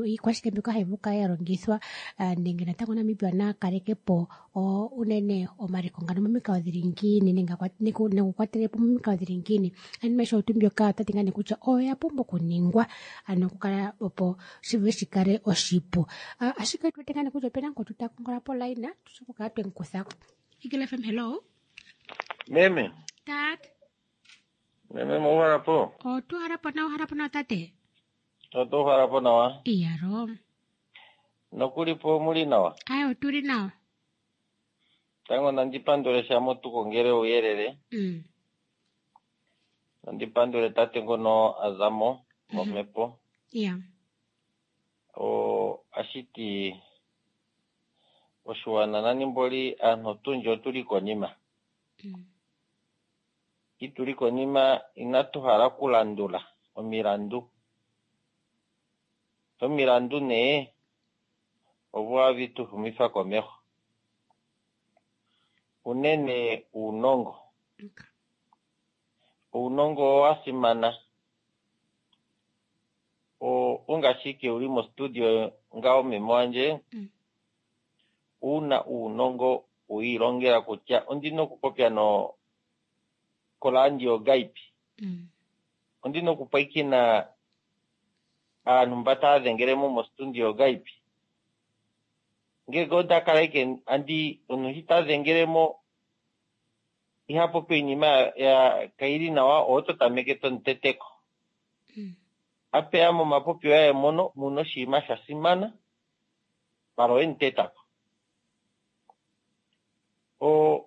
iikwashike mbyoka hayi vulu okukala ya longithwa nenge natango Namibia na kaleke po unene omaliko ngano momikalo dhili ngiini nenge okukwatele po momikalo dhili ngiini. Iinima ayihe oyo mbyoka otati ngaa nee kutya oya pumbwa okuningwa ano okukala opo shi vule shi kale oshipu. Ashike otu wete ngaa nee kutya opena ngoka ta kongola polayina tushi okukala twemu kutha ko. Eagle FM, hello. Meme. Tate. Meme mouhala po? Otuhala po nawa, uhala po nawa tate. Otuhala po nawa. Iyalo. Nokuli po muli nawa? Aye, otuli nawa. Tango nandi pandule sha motukongele ouyelele. Nandi pandule tate ngono a za mo momhepo. Yeah. O ashiti oshiwana nanimboli aantu otundji otuli konima. Ituli konima inatu hala okulandula omilandu. Omilandu nee ovo havi tu humifa komeho. Unene uunongo. Uunongo owa simana. Ongashike uli mo studio ngawo meme wandje. Una uunongo uilongela kutya ondina okupopya no kolandio gaipi. Ondina okupwaikina aantu mba taya dhengele mo mo studio gaipi. Ngele onda kala ike andi omuntu ta dhengele mo iha popi iinima ya kaili nawa oto tameke tomuteteko. Apeya momapopi yaye mono muno oshinima sha simana mala oye mutetako. O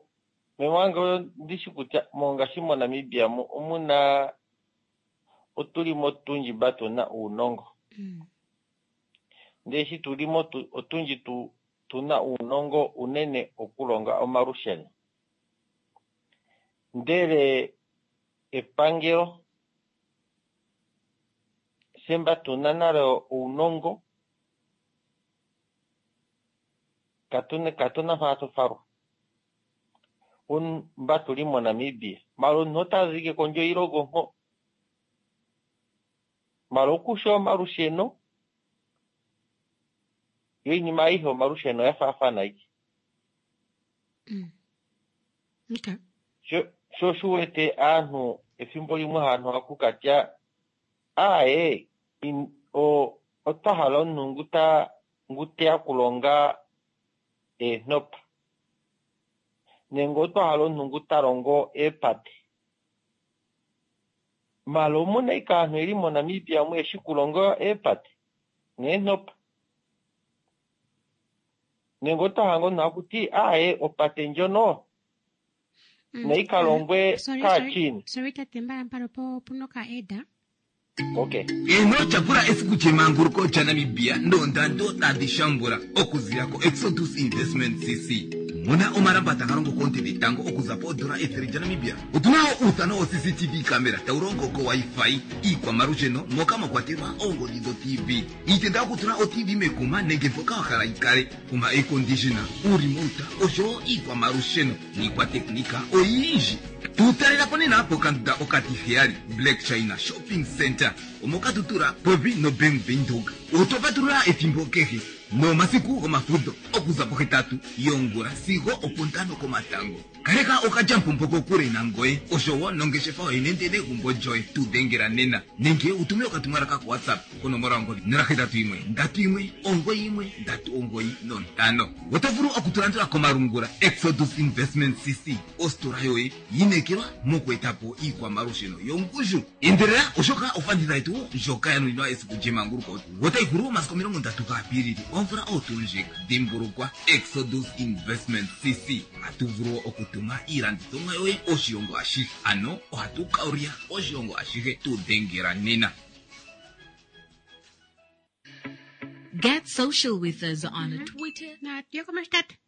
meme wange ndishi kutya mongashi moNamibia mu omuna otuli mo tundji mba tuna uunongo. Ndele shi tuli mo otundji tuna uunongo unene okulonga omalusheno. Ndele epangelo semba tuna nalo uunongo katuna mpa tufalwa. Mba tuli moNamibia mala omuntu otazike kondje yiilongo nko mala okusha omalusheno yo iinima ayihe omalusheno ya faafana ike. Okay. Sho shu wete aantu efimbo limwe aantu hakukatya aaye otwa hala omuntu ngu teya kulonga eenhopa nenge otwa hala omuntu ngu ta longo eepate. Mala omuna ike aantu yeli moNamibia mu yeshi kulonga eepate neenhopa. Nenge otwa hala omuntu akuti aaye opate ndjono nayi ka longwe kaachina. Sorry tate, mbala mpano puno ka eda. Okay. Eno tyapula esiku lyemanguluko lyaNamibia noondando tadhi shambula okuzila ko Exodus Investment CC. Mona omalamba taga longo koonte dhetango okuza poondola 100 lyaNamibia. Otuna wo uuthano wo CCTV camera tawu longo ko Wi-Fi, iikwamalusheno moka mwa kwatelwa oongodhi dho TV, iitenda yokutula o TV mekuma nenge mpoka wa hala yi kale, oma air conditioner, uuremote oshowo iikwamalusheno niikwateknika oyindji. Tu talela po nena pokandunda okatiheyali Black China Shopping Center omoka tutula popi noBank Windhoek. Otwa patulula ethimbo kehe nomasiku gomafudho okuza pohetatu yongula sigo opontano komatango. Kaleka okalyamupombo kokule nangoye oshowo nongeshefa yoye nenge negumbo lyoye. Tu dhengela nena nenge utume okatumwalaka ko WhatsApp konomola yongodhi 081 31 91 395. Oto vulu okutulandula komalungula Exodus Investment CC, ositola yoye yinekelwa moku etapo iikwamalusheno yongushu. Endelela oshoka ofanditha yetu ndjoka ya nuninwa esiku lyemanguluko otayi hulu omasiku 30 gaApilili omvula oyo ndjika. Dhimbulukwa Exodus Investment CC, ohatu vulu okutuma iilandithomwa yoye oshilongo ashihe, ano ohatu kaulya oshilongo ashihe. Tu dhengela nena. Get social with us on Twitter. Natu ye komashi tate.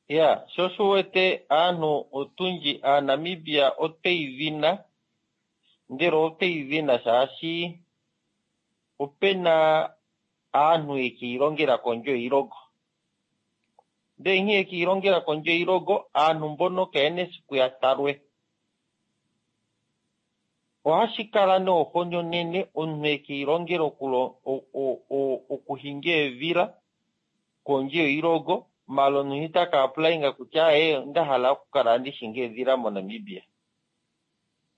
Ya, sho sho wete aantu otundji aaNamibia otweyi vina, ndele otweyi vina shaashi opena aantu yekiilongela kondje yiilongo. Ndele nkene yekiilongela kondje yiilongo, aantu mbono kayena esiku ya talwe. Ohashi kala noohoni onene omuntu ekiilongela okuhinga eedhila kondje yiilongo, mala omuntu itaka applyinga kutya aye onda hala okukala andi hingi eedhila moNamibia.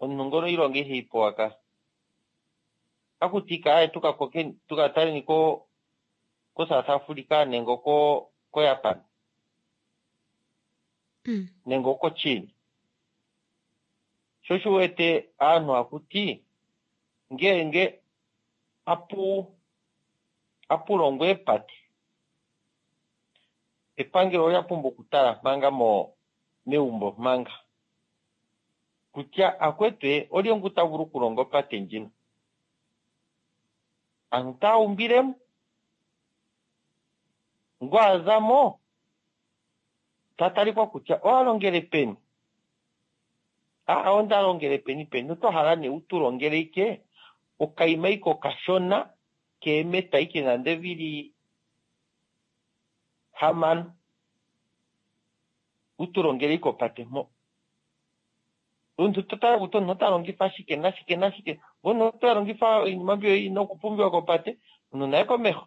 Omuntu ngono iilonga iheyi pewa ka. Akuti ike aye tukataleni ko South Africa nenge ko Japan. Nenge oko China. Sho shi wete aantu akuti ngeenge apu longwa eepate, epangelo olya pumbwa okutala manga meumbo manga kutya akwetwe olye ngu ta vulu okulonga opate ndjino. Aantu taya umbilemo, ngu azamo ta talikwa kutya owa longele peni. Onda longele peni peni, oto hala nee utu longele ike okaima ike okashona keemeta ike nande vili 6 utu longele ike opate mpo. Omuntu to tala kutya omuntu ota longifa shike nashike nashike, ngono ota longifa iinima mbyo ina okupumbiwa kopate, omuntu naye komeho.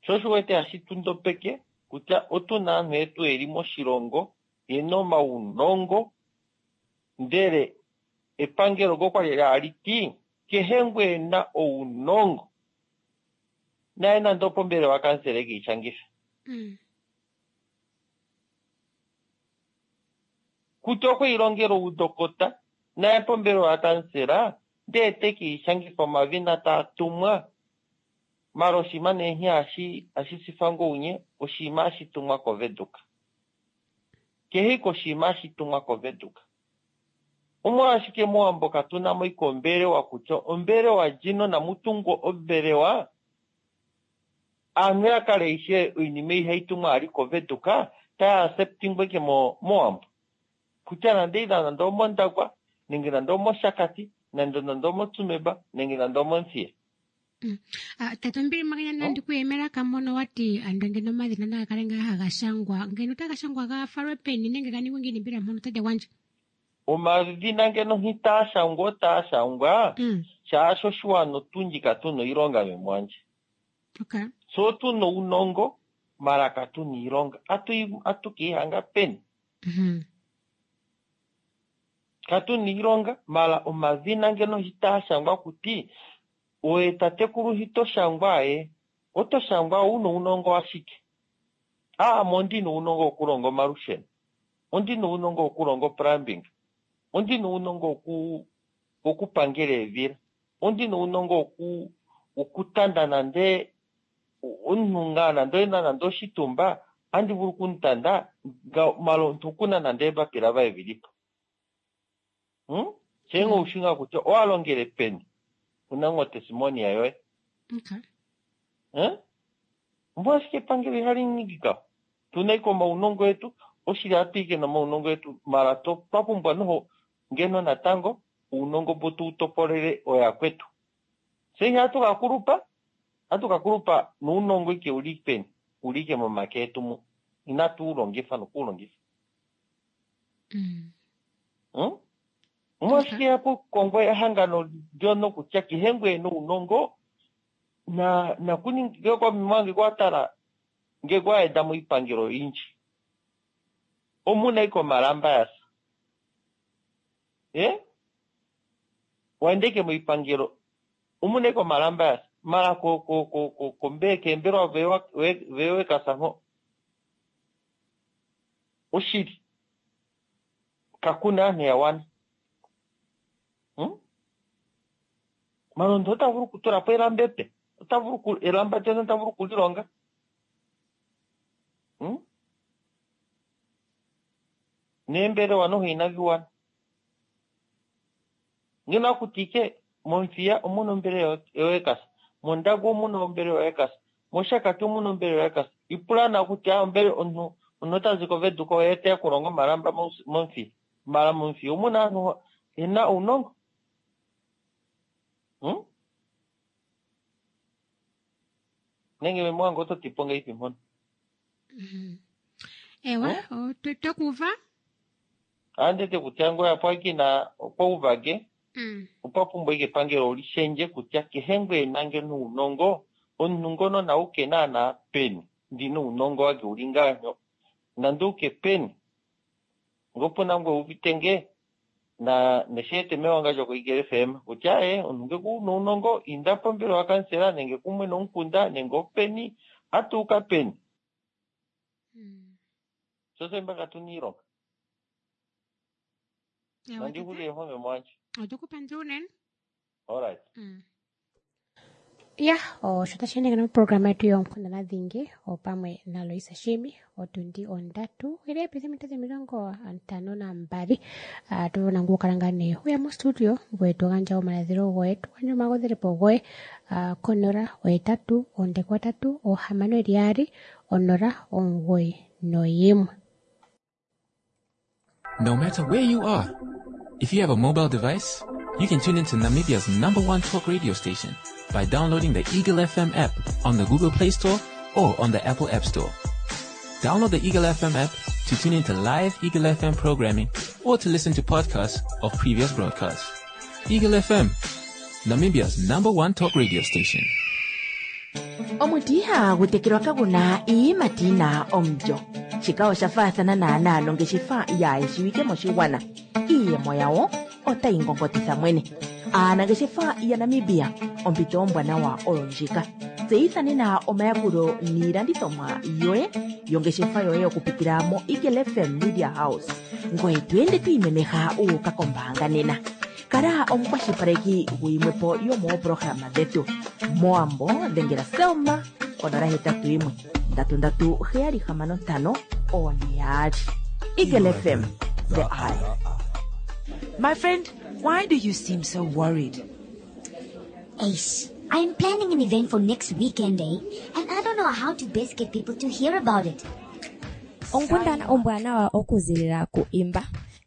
Sho shi wete hashi tundopeke kutya otuna aantu yetu yeli moshilongo yena omaunongo, ndele epangelo okwali hali ti kehe ngu ena ounongo naye nande opombelewa kansela ekiishangife. Kutya okwiilongela oudokota naye pombelewa kansela ndee tekiishangifa omavina taa tumwa. Mala oshinima nee nghee hashi sifa ngounye oshinima hashi tumwa koVenduka. Kehe ike oshinima hashi tumwa koVenduka. Omolwashike mOwambo katuna mo ike ombelewa kutya ombelewa ndjino namutungwa ombelewa aantu ya kale ishe oinima ihayi tumwa ali koVenduka taya acceptingwe ike mOwambo. Kutya nande ila nande omOndangwa nenge nande omOshakati nande nande omoTsumeb nenge nande omoMuthiya. Tate Ombili Maganya nandi kuyemela kamono wati ando ngeno omadhina naga kale ngaa haga shangwa ngeno otaga shangwa ga falwe peni nenge ga ningwe ngiini mbela mpono tate gwandje? Omadhina ngeno hitaa shangwa otaa shangwa shaashi oshiwana otundji katuna iilonga memwandje. Okay. So otuna uunongo mala katuna iilonga atukiihanga peni. Katuna iilonga mala omadhina ngeno hitaa shangwa kuti oye tatekulu hito shangwa ye oto shangwa una uunongo ashike. Ame ondina uunongo wokulonga omalusheno, ondina uunongo wokulonga plumbing, ondina uunongo wokupangela eedhila, ondina uunongo wokutanda nande omuntu ngaa nande oyena nande oshitumba andi vulu okumutanda mala omuntu okuna nande eembapila vaye vilipo. Shenge oushi ngaa kutya owa longele peni una ngoo tesimonia yoye. Okay. Omolwashike epangelo ihali ningika? Tuna ike omaunongo etu, oshili hatu ike nomaunongo etu, mala twa pumbwa noho ngeno natango uunongo mbo tu topolele oyakwetu. Se ihatu ka kulupa, hatu ka kulupa nuunongo ike uli peni, uli ike momake etu mu. Inatu ulongifa nokuulongifa. Omolwashike hapu kongwa ehangano ndyono kutya kehe ngu ena uunongo na kuninge kwa ngeke watala ngeke waenda moipangelo oyindji omuna ike omalamba yasa. Waenda ike moipangelo omuna ike omalamba yasa mala keembelwa vewekasa mho oshili kakuna aantu ya wana. Malondo ota vulu okutula po elamba epe, ota vulu elamba ndyono ota vulu okulilonga. Neembelewa noho inadhi wana. Ngeno akuti ike mOmuthiya omuna ombelewa yekasa, mOndangwa omuna ombelewa yekasa, Moshakati omuna ombelewa yakansela. Ipula nawa kutya ombele omuntu omuntu ota zi koVenduka oye teya okulonga omalamba mOmuthiya. Mala mOmuthiya omuna aantu yena uunongo? Hmm? Nenge meme wange oto ti po ngaipi mpono? Ewa, otwa kuuva. Andete kutya ngoye apo akina okwa uvage opwa pumbwa ike epangelo li shendje kutya kehe ngwe nange nuunongo omuntu ngono nauke naana peni ndina uunongo wake uli nganyo nanduke peni ngopuna ngwe uvite nge na nesheete mewangandjo koEagle FM kutya e omuntu nge kuna uunongo inda pombelewa kansela nenge kumwe nomukunda nenge openi atuuka peni sose mbaka tuna iilonga. Ewa, nandihulile home mwanje. Otukupandula unene. Alright. Ya, osho tashi endeke noprograma yetu yoonkundana dhingi opamwe naLoisa Shiimi otundi 3 ili yapita minute 52. Tuvona ngukala nga nee uya mostudio ngoye to gandja omaladhilo goye, to gandja omagodhelepo goye konola 8 3 6 2 0 9 1. No matter where you are, if you have a mobile device, you can tune into Namibia's number one talk radio station by downloading the Eagle FM app on the Google Play Store or on the Apple App Store. Download the Eagle FM app to tune into live Eagle FM programming or to listen to podcasts of previous broadcasts. Eagle FM, Namibia's number one talk radio station. Omuti ihagu tekelwa kaguna iiyimati yina omulyo. Shika osha faathana naanaa nongeshefa yaayeshiwike moshigwana. Iiyemo yawo otayi ngongotitha mwene. Aanangeshefa yaNamibia, ompito ombwanawa oyo ndjika. Tseyitha nena omayakulo niilandithomwa yoye yongeshefa yoye okupitila mo Eagle FM Media House. Ngoye to ende to imemeha wu uka kombaanga nena. Kala omukwashilipaleki guyimwepo yomoopolohalama dhetu. Mowambo dhengela Selma 081 337 65 42. Eagle FM, the eye. My friend, why do you seem so worried? Ace, I'm planning an event for next weekend, eh? And I don't know how to best get people to hear about it. Onkundana ombwanawa okuzilila ku Imba.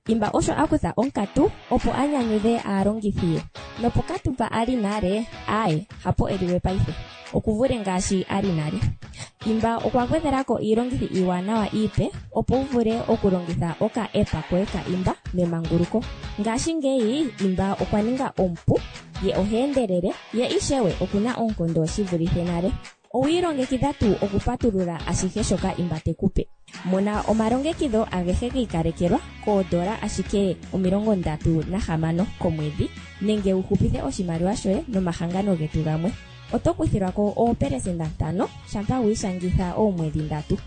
Imba osho a kutha onkatu opo a nyanyudhe aalongithi ye. Nopokatu mpa a li nale, aaye, hapo e liwe paife. Okuvule ngaashi a li nale. Imba okwa gwedhela ko iilongithi iiwanawa iipe opo wu vule okulongitha oka app koye ka Imba memanguluko. Ngashingeyi Imba okwa ninga omupu, ye oha endelele, ye ishewe okuna oonkondo shi vulithe nale. Owi ilongekidha tuu okupatulula ashihe shoka Imba te ku pe? Mona omalongekidho agehe gi ikalekelwa koodola ashike 36 komwedhi nenge wu hupithe oshimaliwa shoye nomahangano getu gamwe. Oto kuthilwa ko 5% shampa wi ishangitha oomwedhi 3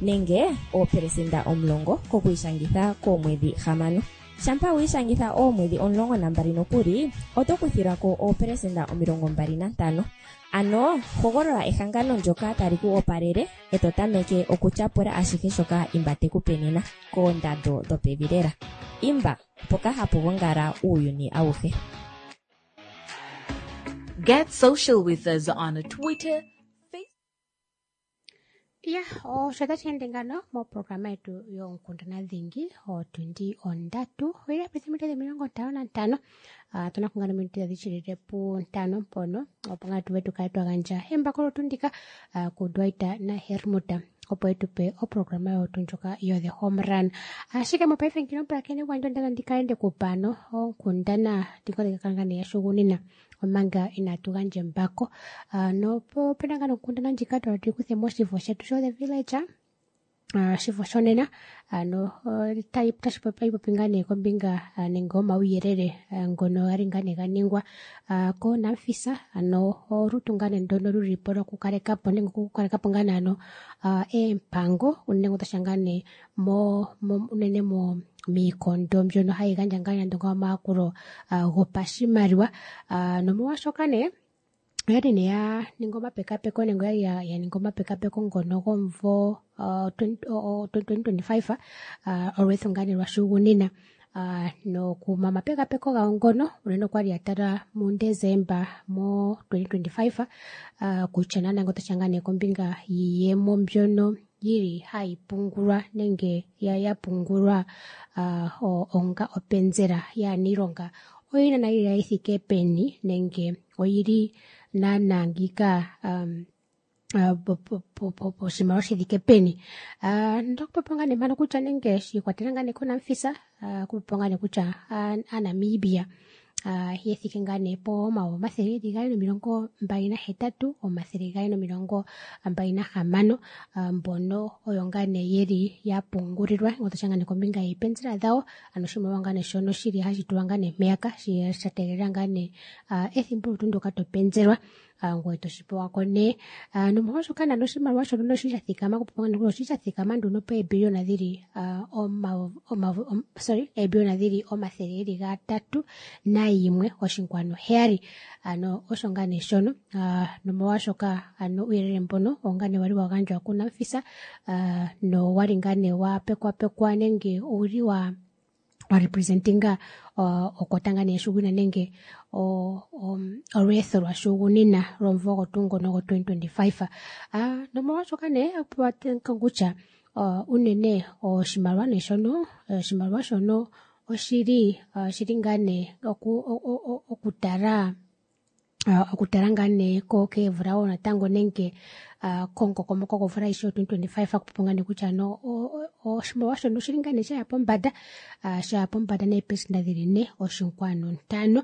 nenge 10% kokwiishangitha koomwedhi 6. Shampa wi ishangitha oomwedhi 12 nokuli oto kuthilwa ko 25%. Ano hogolola ehangano ndyoka tali ku opalele e to tameke okutyapula ashihe shoka Imba te ku pe nena koondando dhopevi lela. Imba, mpoka hapu gongala uuyuni awuhe. Get social with us on Twitter, Ya, osho tashi ende ngano moprograma yetu yoonkundana dhingi otundi 3 oyili yapita minute 55. Tuna kungana minute tadhi shilile pu5 mpono opo ngaa tuve tukale twa gandja embako lotundika kuDwight naHermuta opo etupe oprograma yotu ndjoka yo The Home Run. Ashike mopaife ngino pulakene gwandje ondala ndika ende kupano onkundana ndingodhika nee yashugunina omanga inaatu gandja embako. Nopo opena ngaa nonkundana ndjika twala tuyi moshifo shetu sho The Village, shifo shonena ano tashi popi popi ngaa nee kombinga nenge omauyelele ngono gali ngaa nee ga ningwa koNamfisa ano olutu ngaa nee ndono luli po lokukalekapo nenge okukalekapo ngaa nee ano eempango unene otasha ngaa nee mo unene mo miikondo mbyono hayi gandja ngaa nande omayakulo gopashimaliwa nomolwaashoka nee oyali nee ya ninga omapekapeko nenge oyali ya ninga omapekapeko ngono gomumvo 2025 olweetho ngaa nee lwashugunina. Nokuma omapekapeko gawo ngono unene okwali ya tala muDesemba mo 2025 kutya naanaa otashi ngaa nee kombinga yiiyemo mbyono yili hayi pungulwa nenge ya pungulwa onga openzela yaaniilonga oyili naana yili yi thike peni nenge oyili naana ngiika poshimaliwa shi thike peni. Ndokupopya ngaa nee mpano kutya nenge shi ikwatelela ngaa nee koNamfisa, okupopya ngaa nee kutya aaNamibia ye thike ngaa nee po 228,226 mbono oyo ngaa nee yeli ya pungulilwa otasha ngaa nee kombinga yeepenzela dhawo, ano oshimaliwa ngaa nee shono shili hashi tulwa ngaa nee mpeyaka sha tegelela ngaa nee ethimbo tuu ndyoka to penzelwa, ngoye toshi pewa ko nee. Nomolwaashoka nande oshimaliwa shono oshili sha thikama, oshili sha thikama nduno peebiliyona dhili eebiliyona dhili 301.7, ano osho ngaa nee shono. Nomolwaashoka ano uuyelele mbono owo ngaa nee wali wa gandjwa kuNamfisa, nowali ngaa nee wa pekwapekwa nenge owuli wa representinga okota ngaa nee yashugunina nenge olweetho lwashugunina lwomumvo ogo tuu ngono go 2025. Nomolwaashoka nee kutya unene oshimaliwa nee shono, oshimaliwa shono oshili shili ngaa nee okutala okutala ngaa nee keemvula wo natango nenge komukokomoko gomvula ayihe yo 2025, okupopya ngaa nee kutya ano oshimaliwa shono oshili ngaa nee shaya pombanda, shaya pombanda neepelesenda dhili 4.5,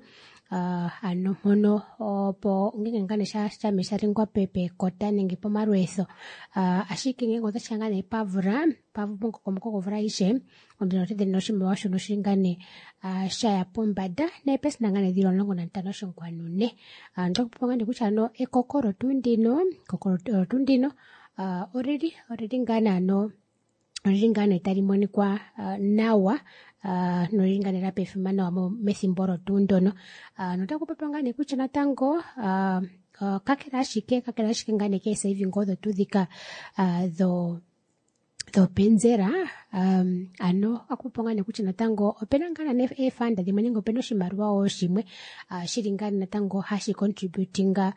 ano mpono opo ngenge ngaa nee shame sha lingwa pekota nenge pomalweetho, ashike ngenge otashiya ngaa nee pamvula momukokomoko gomvula ayihe, ondino oshimaliwa shono oshili ngaa nee shaya pombanda neepelesenda ngaa nee dhili 15.4. Ndokupopya ngaa nee kutya ano ekoko tuu ndino, ekoko tuu ndino olili ngaa nee ano olili ngaa nee tali monikwa nawa, nolili ngaa nee la pefima nawa methimbo olo tuu ndono. Notaku popiwa ngaa nee kutya natango kakele ashike ngaa nee keesaving odho tuu dhika dhopenzela, ano otaku popiwa ngaa nee kutya natango opena ngaa nee eefanda dhimwe nenge opena oshimaliwa wo shimwe shili ngaa natango hashi contributinga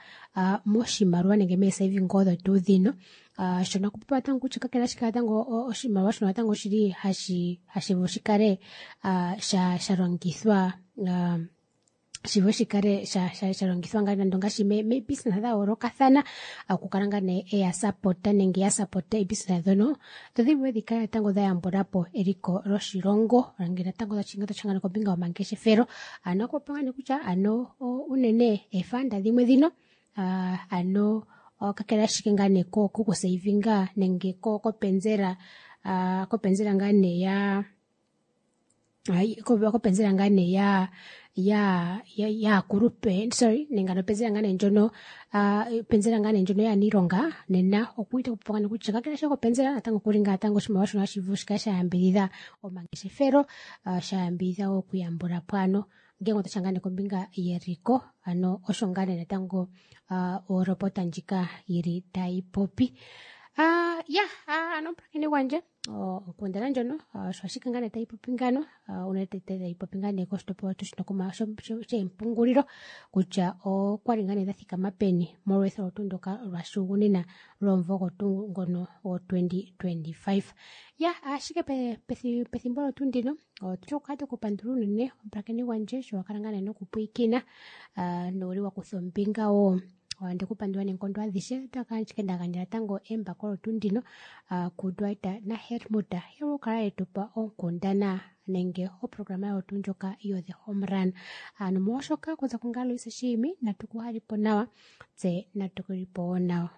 moshimaliwa nenge meesaving odho tuu dhino. Shono okupopiwa natango kutya kakele ashike natango oshimaliwa shono natango oshili hashi vulu shikale sha longithwa shivule shikale sha longithwa ngaa nando ngaashi meebusiness dha yoolokathana, okukala ngaa nee eya sapota nenge ya sapota eebusiness ndhono dho dhi vule dhi kale natango dha yambula po eliko loshilongo, nenge natango tashinga ngaa kombinga yomangeshefelo. Ano okupopya ngaa nee kutya ano unene eefanda dhimwe dhino ano kakele ashike ngaa nee kokusavinga nenge kopenzela, kopenzela ngaa nee ya kopenzela ngaa nee yaakulupe, sorry, nenge ano openzela ngaa nee ndjono, openzela ngaa nee ndjono yaaniilonga, nena okuli taku popiwa ngaa nee kutya kakele ashike kopenzela natango okuli ngaa natango oshimaliwa shono hashi vulu shikale sha yambidhidha omangeshefelo, sha yambidhidha wo okuyambula po ano ngenge otashiya ngaa nee kombinga yeliko, ano osho ngaa nee natango olopota ndjika yili tayi popi. Ya ano omupulakeni gwandje, onkundana ndjono osho ashike ngaa nee tayi popi ngano, unene tayi popi ngaa nee koshitopolwa tuu shino sheempungulilo kutya okwali ngaa nee dha thikama peni molweetho tuu ndoka lwashugunina lwomumvo ogo tuu ngono go 2025. Ya ashike pethimbo olo tuu ndino otuli okukala twekupandula unene omupulakeni gwandje sho wakala ngaa nee nokupwiikina, nowuli wa kutha ombinga wo. Ndikupandula neenkondo adhishe, otaka ashike nda gandja natango embako olo tuu ndino kuDwight naHelmut ye kala yetupa onkundana nenge oprograma yawo tuu ndjoka yo The Home Run. Nomolwaashoka okuza kungame Loise Shiimi natuku halipo nawa, tse natukulipo wo nawa.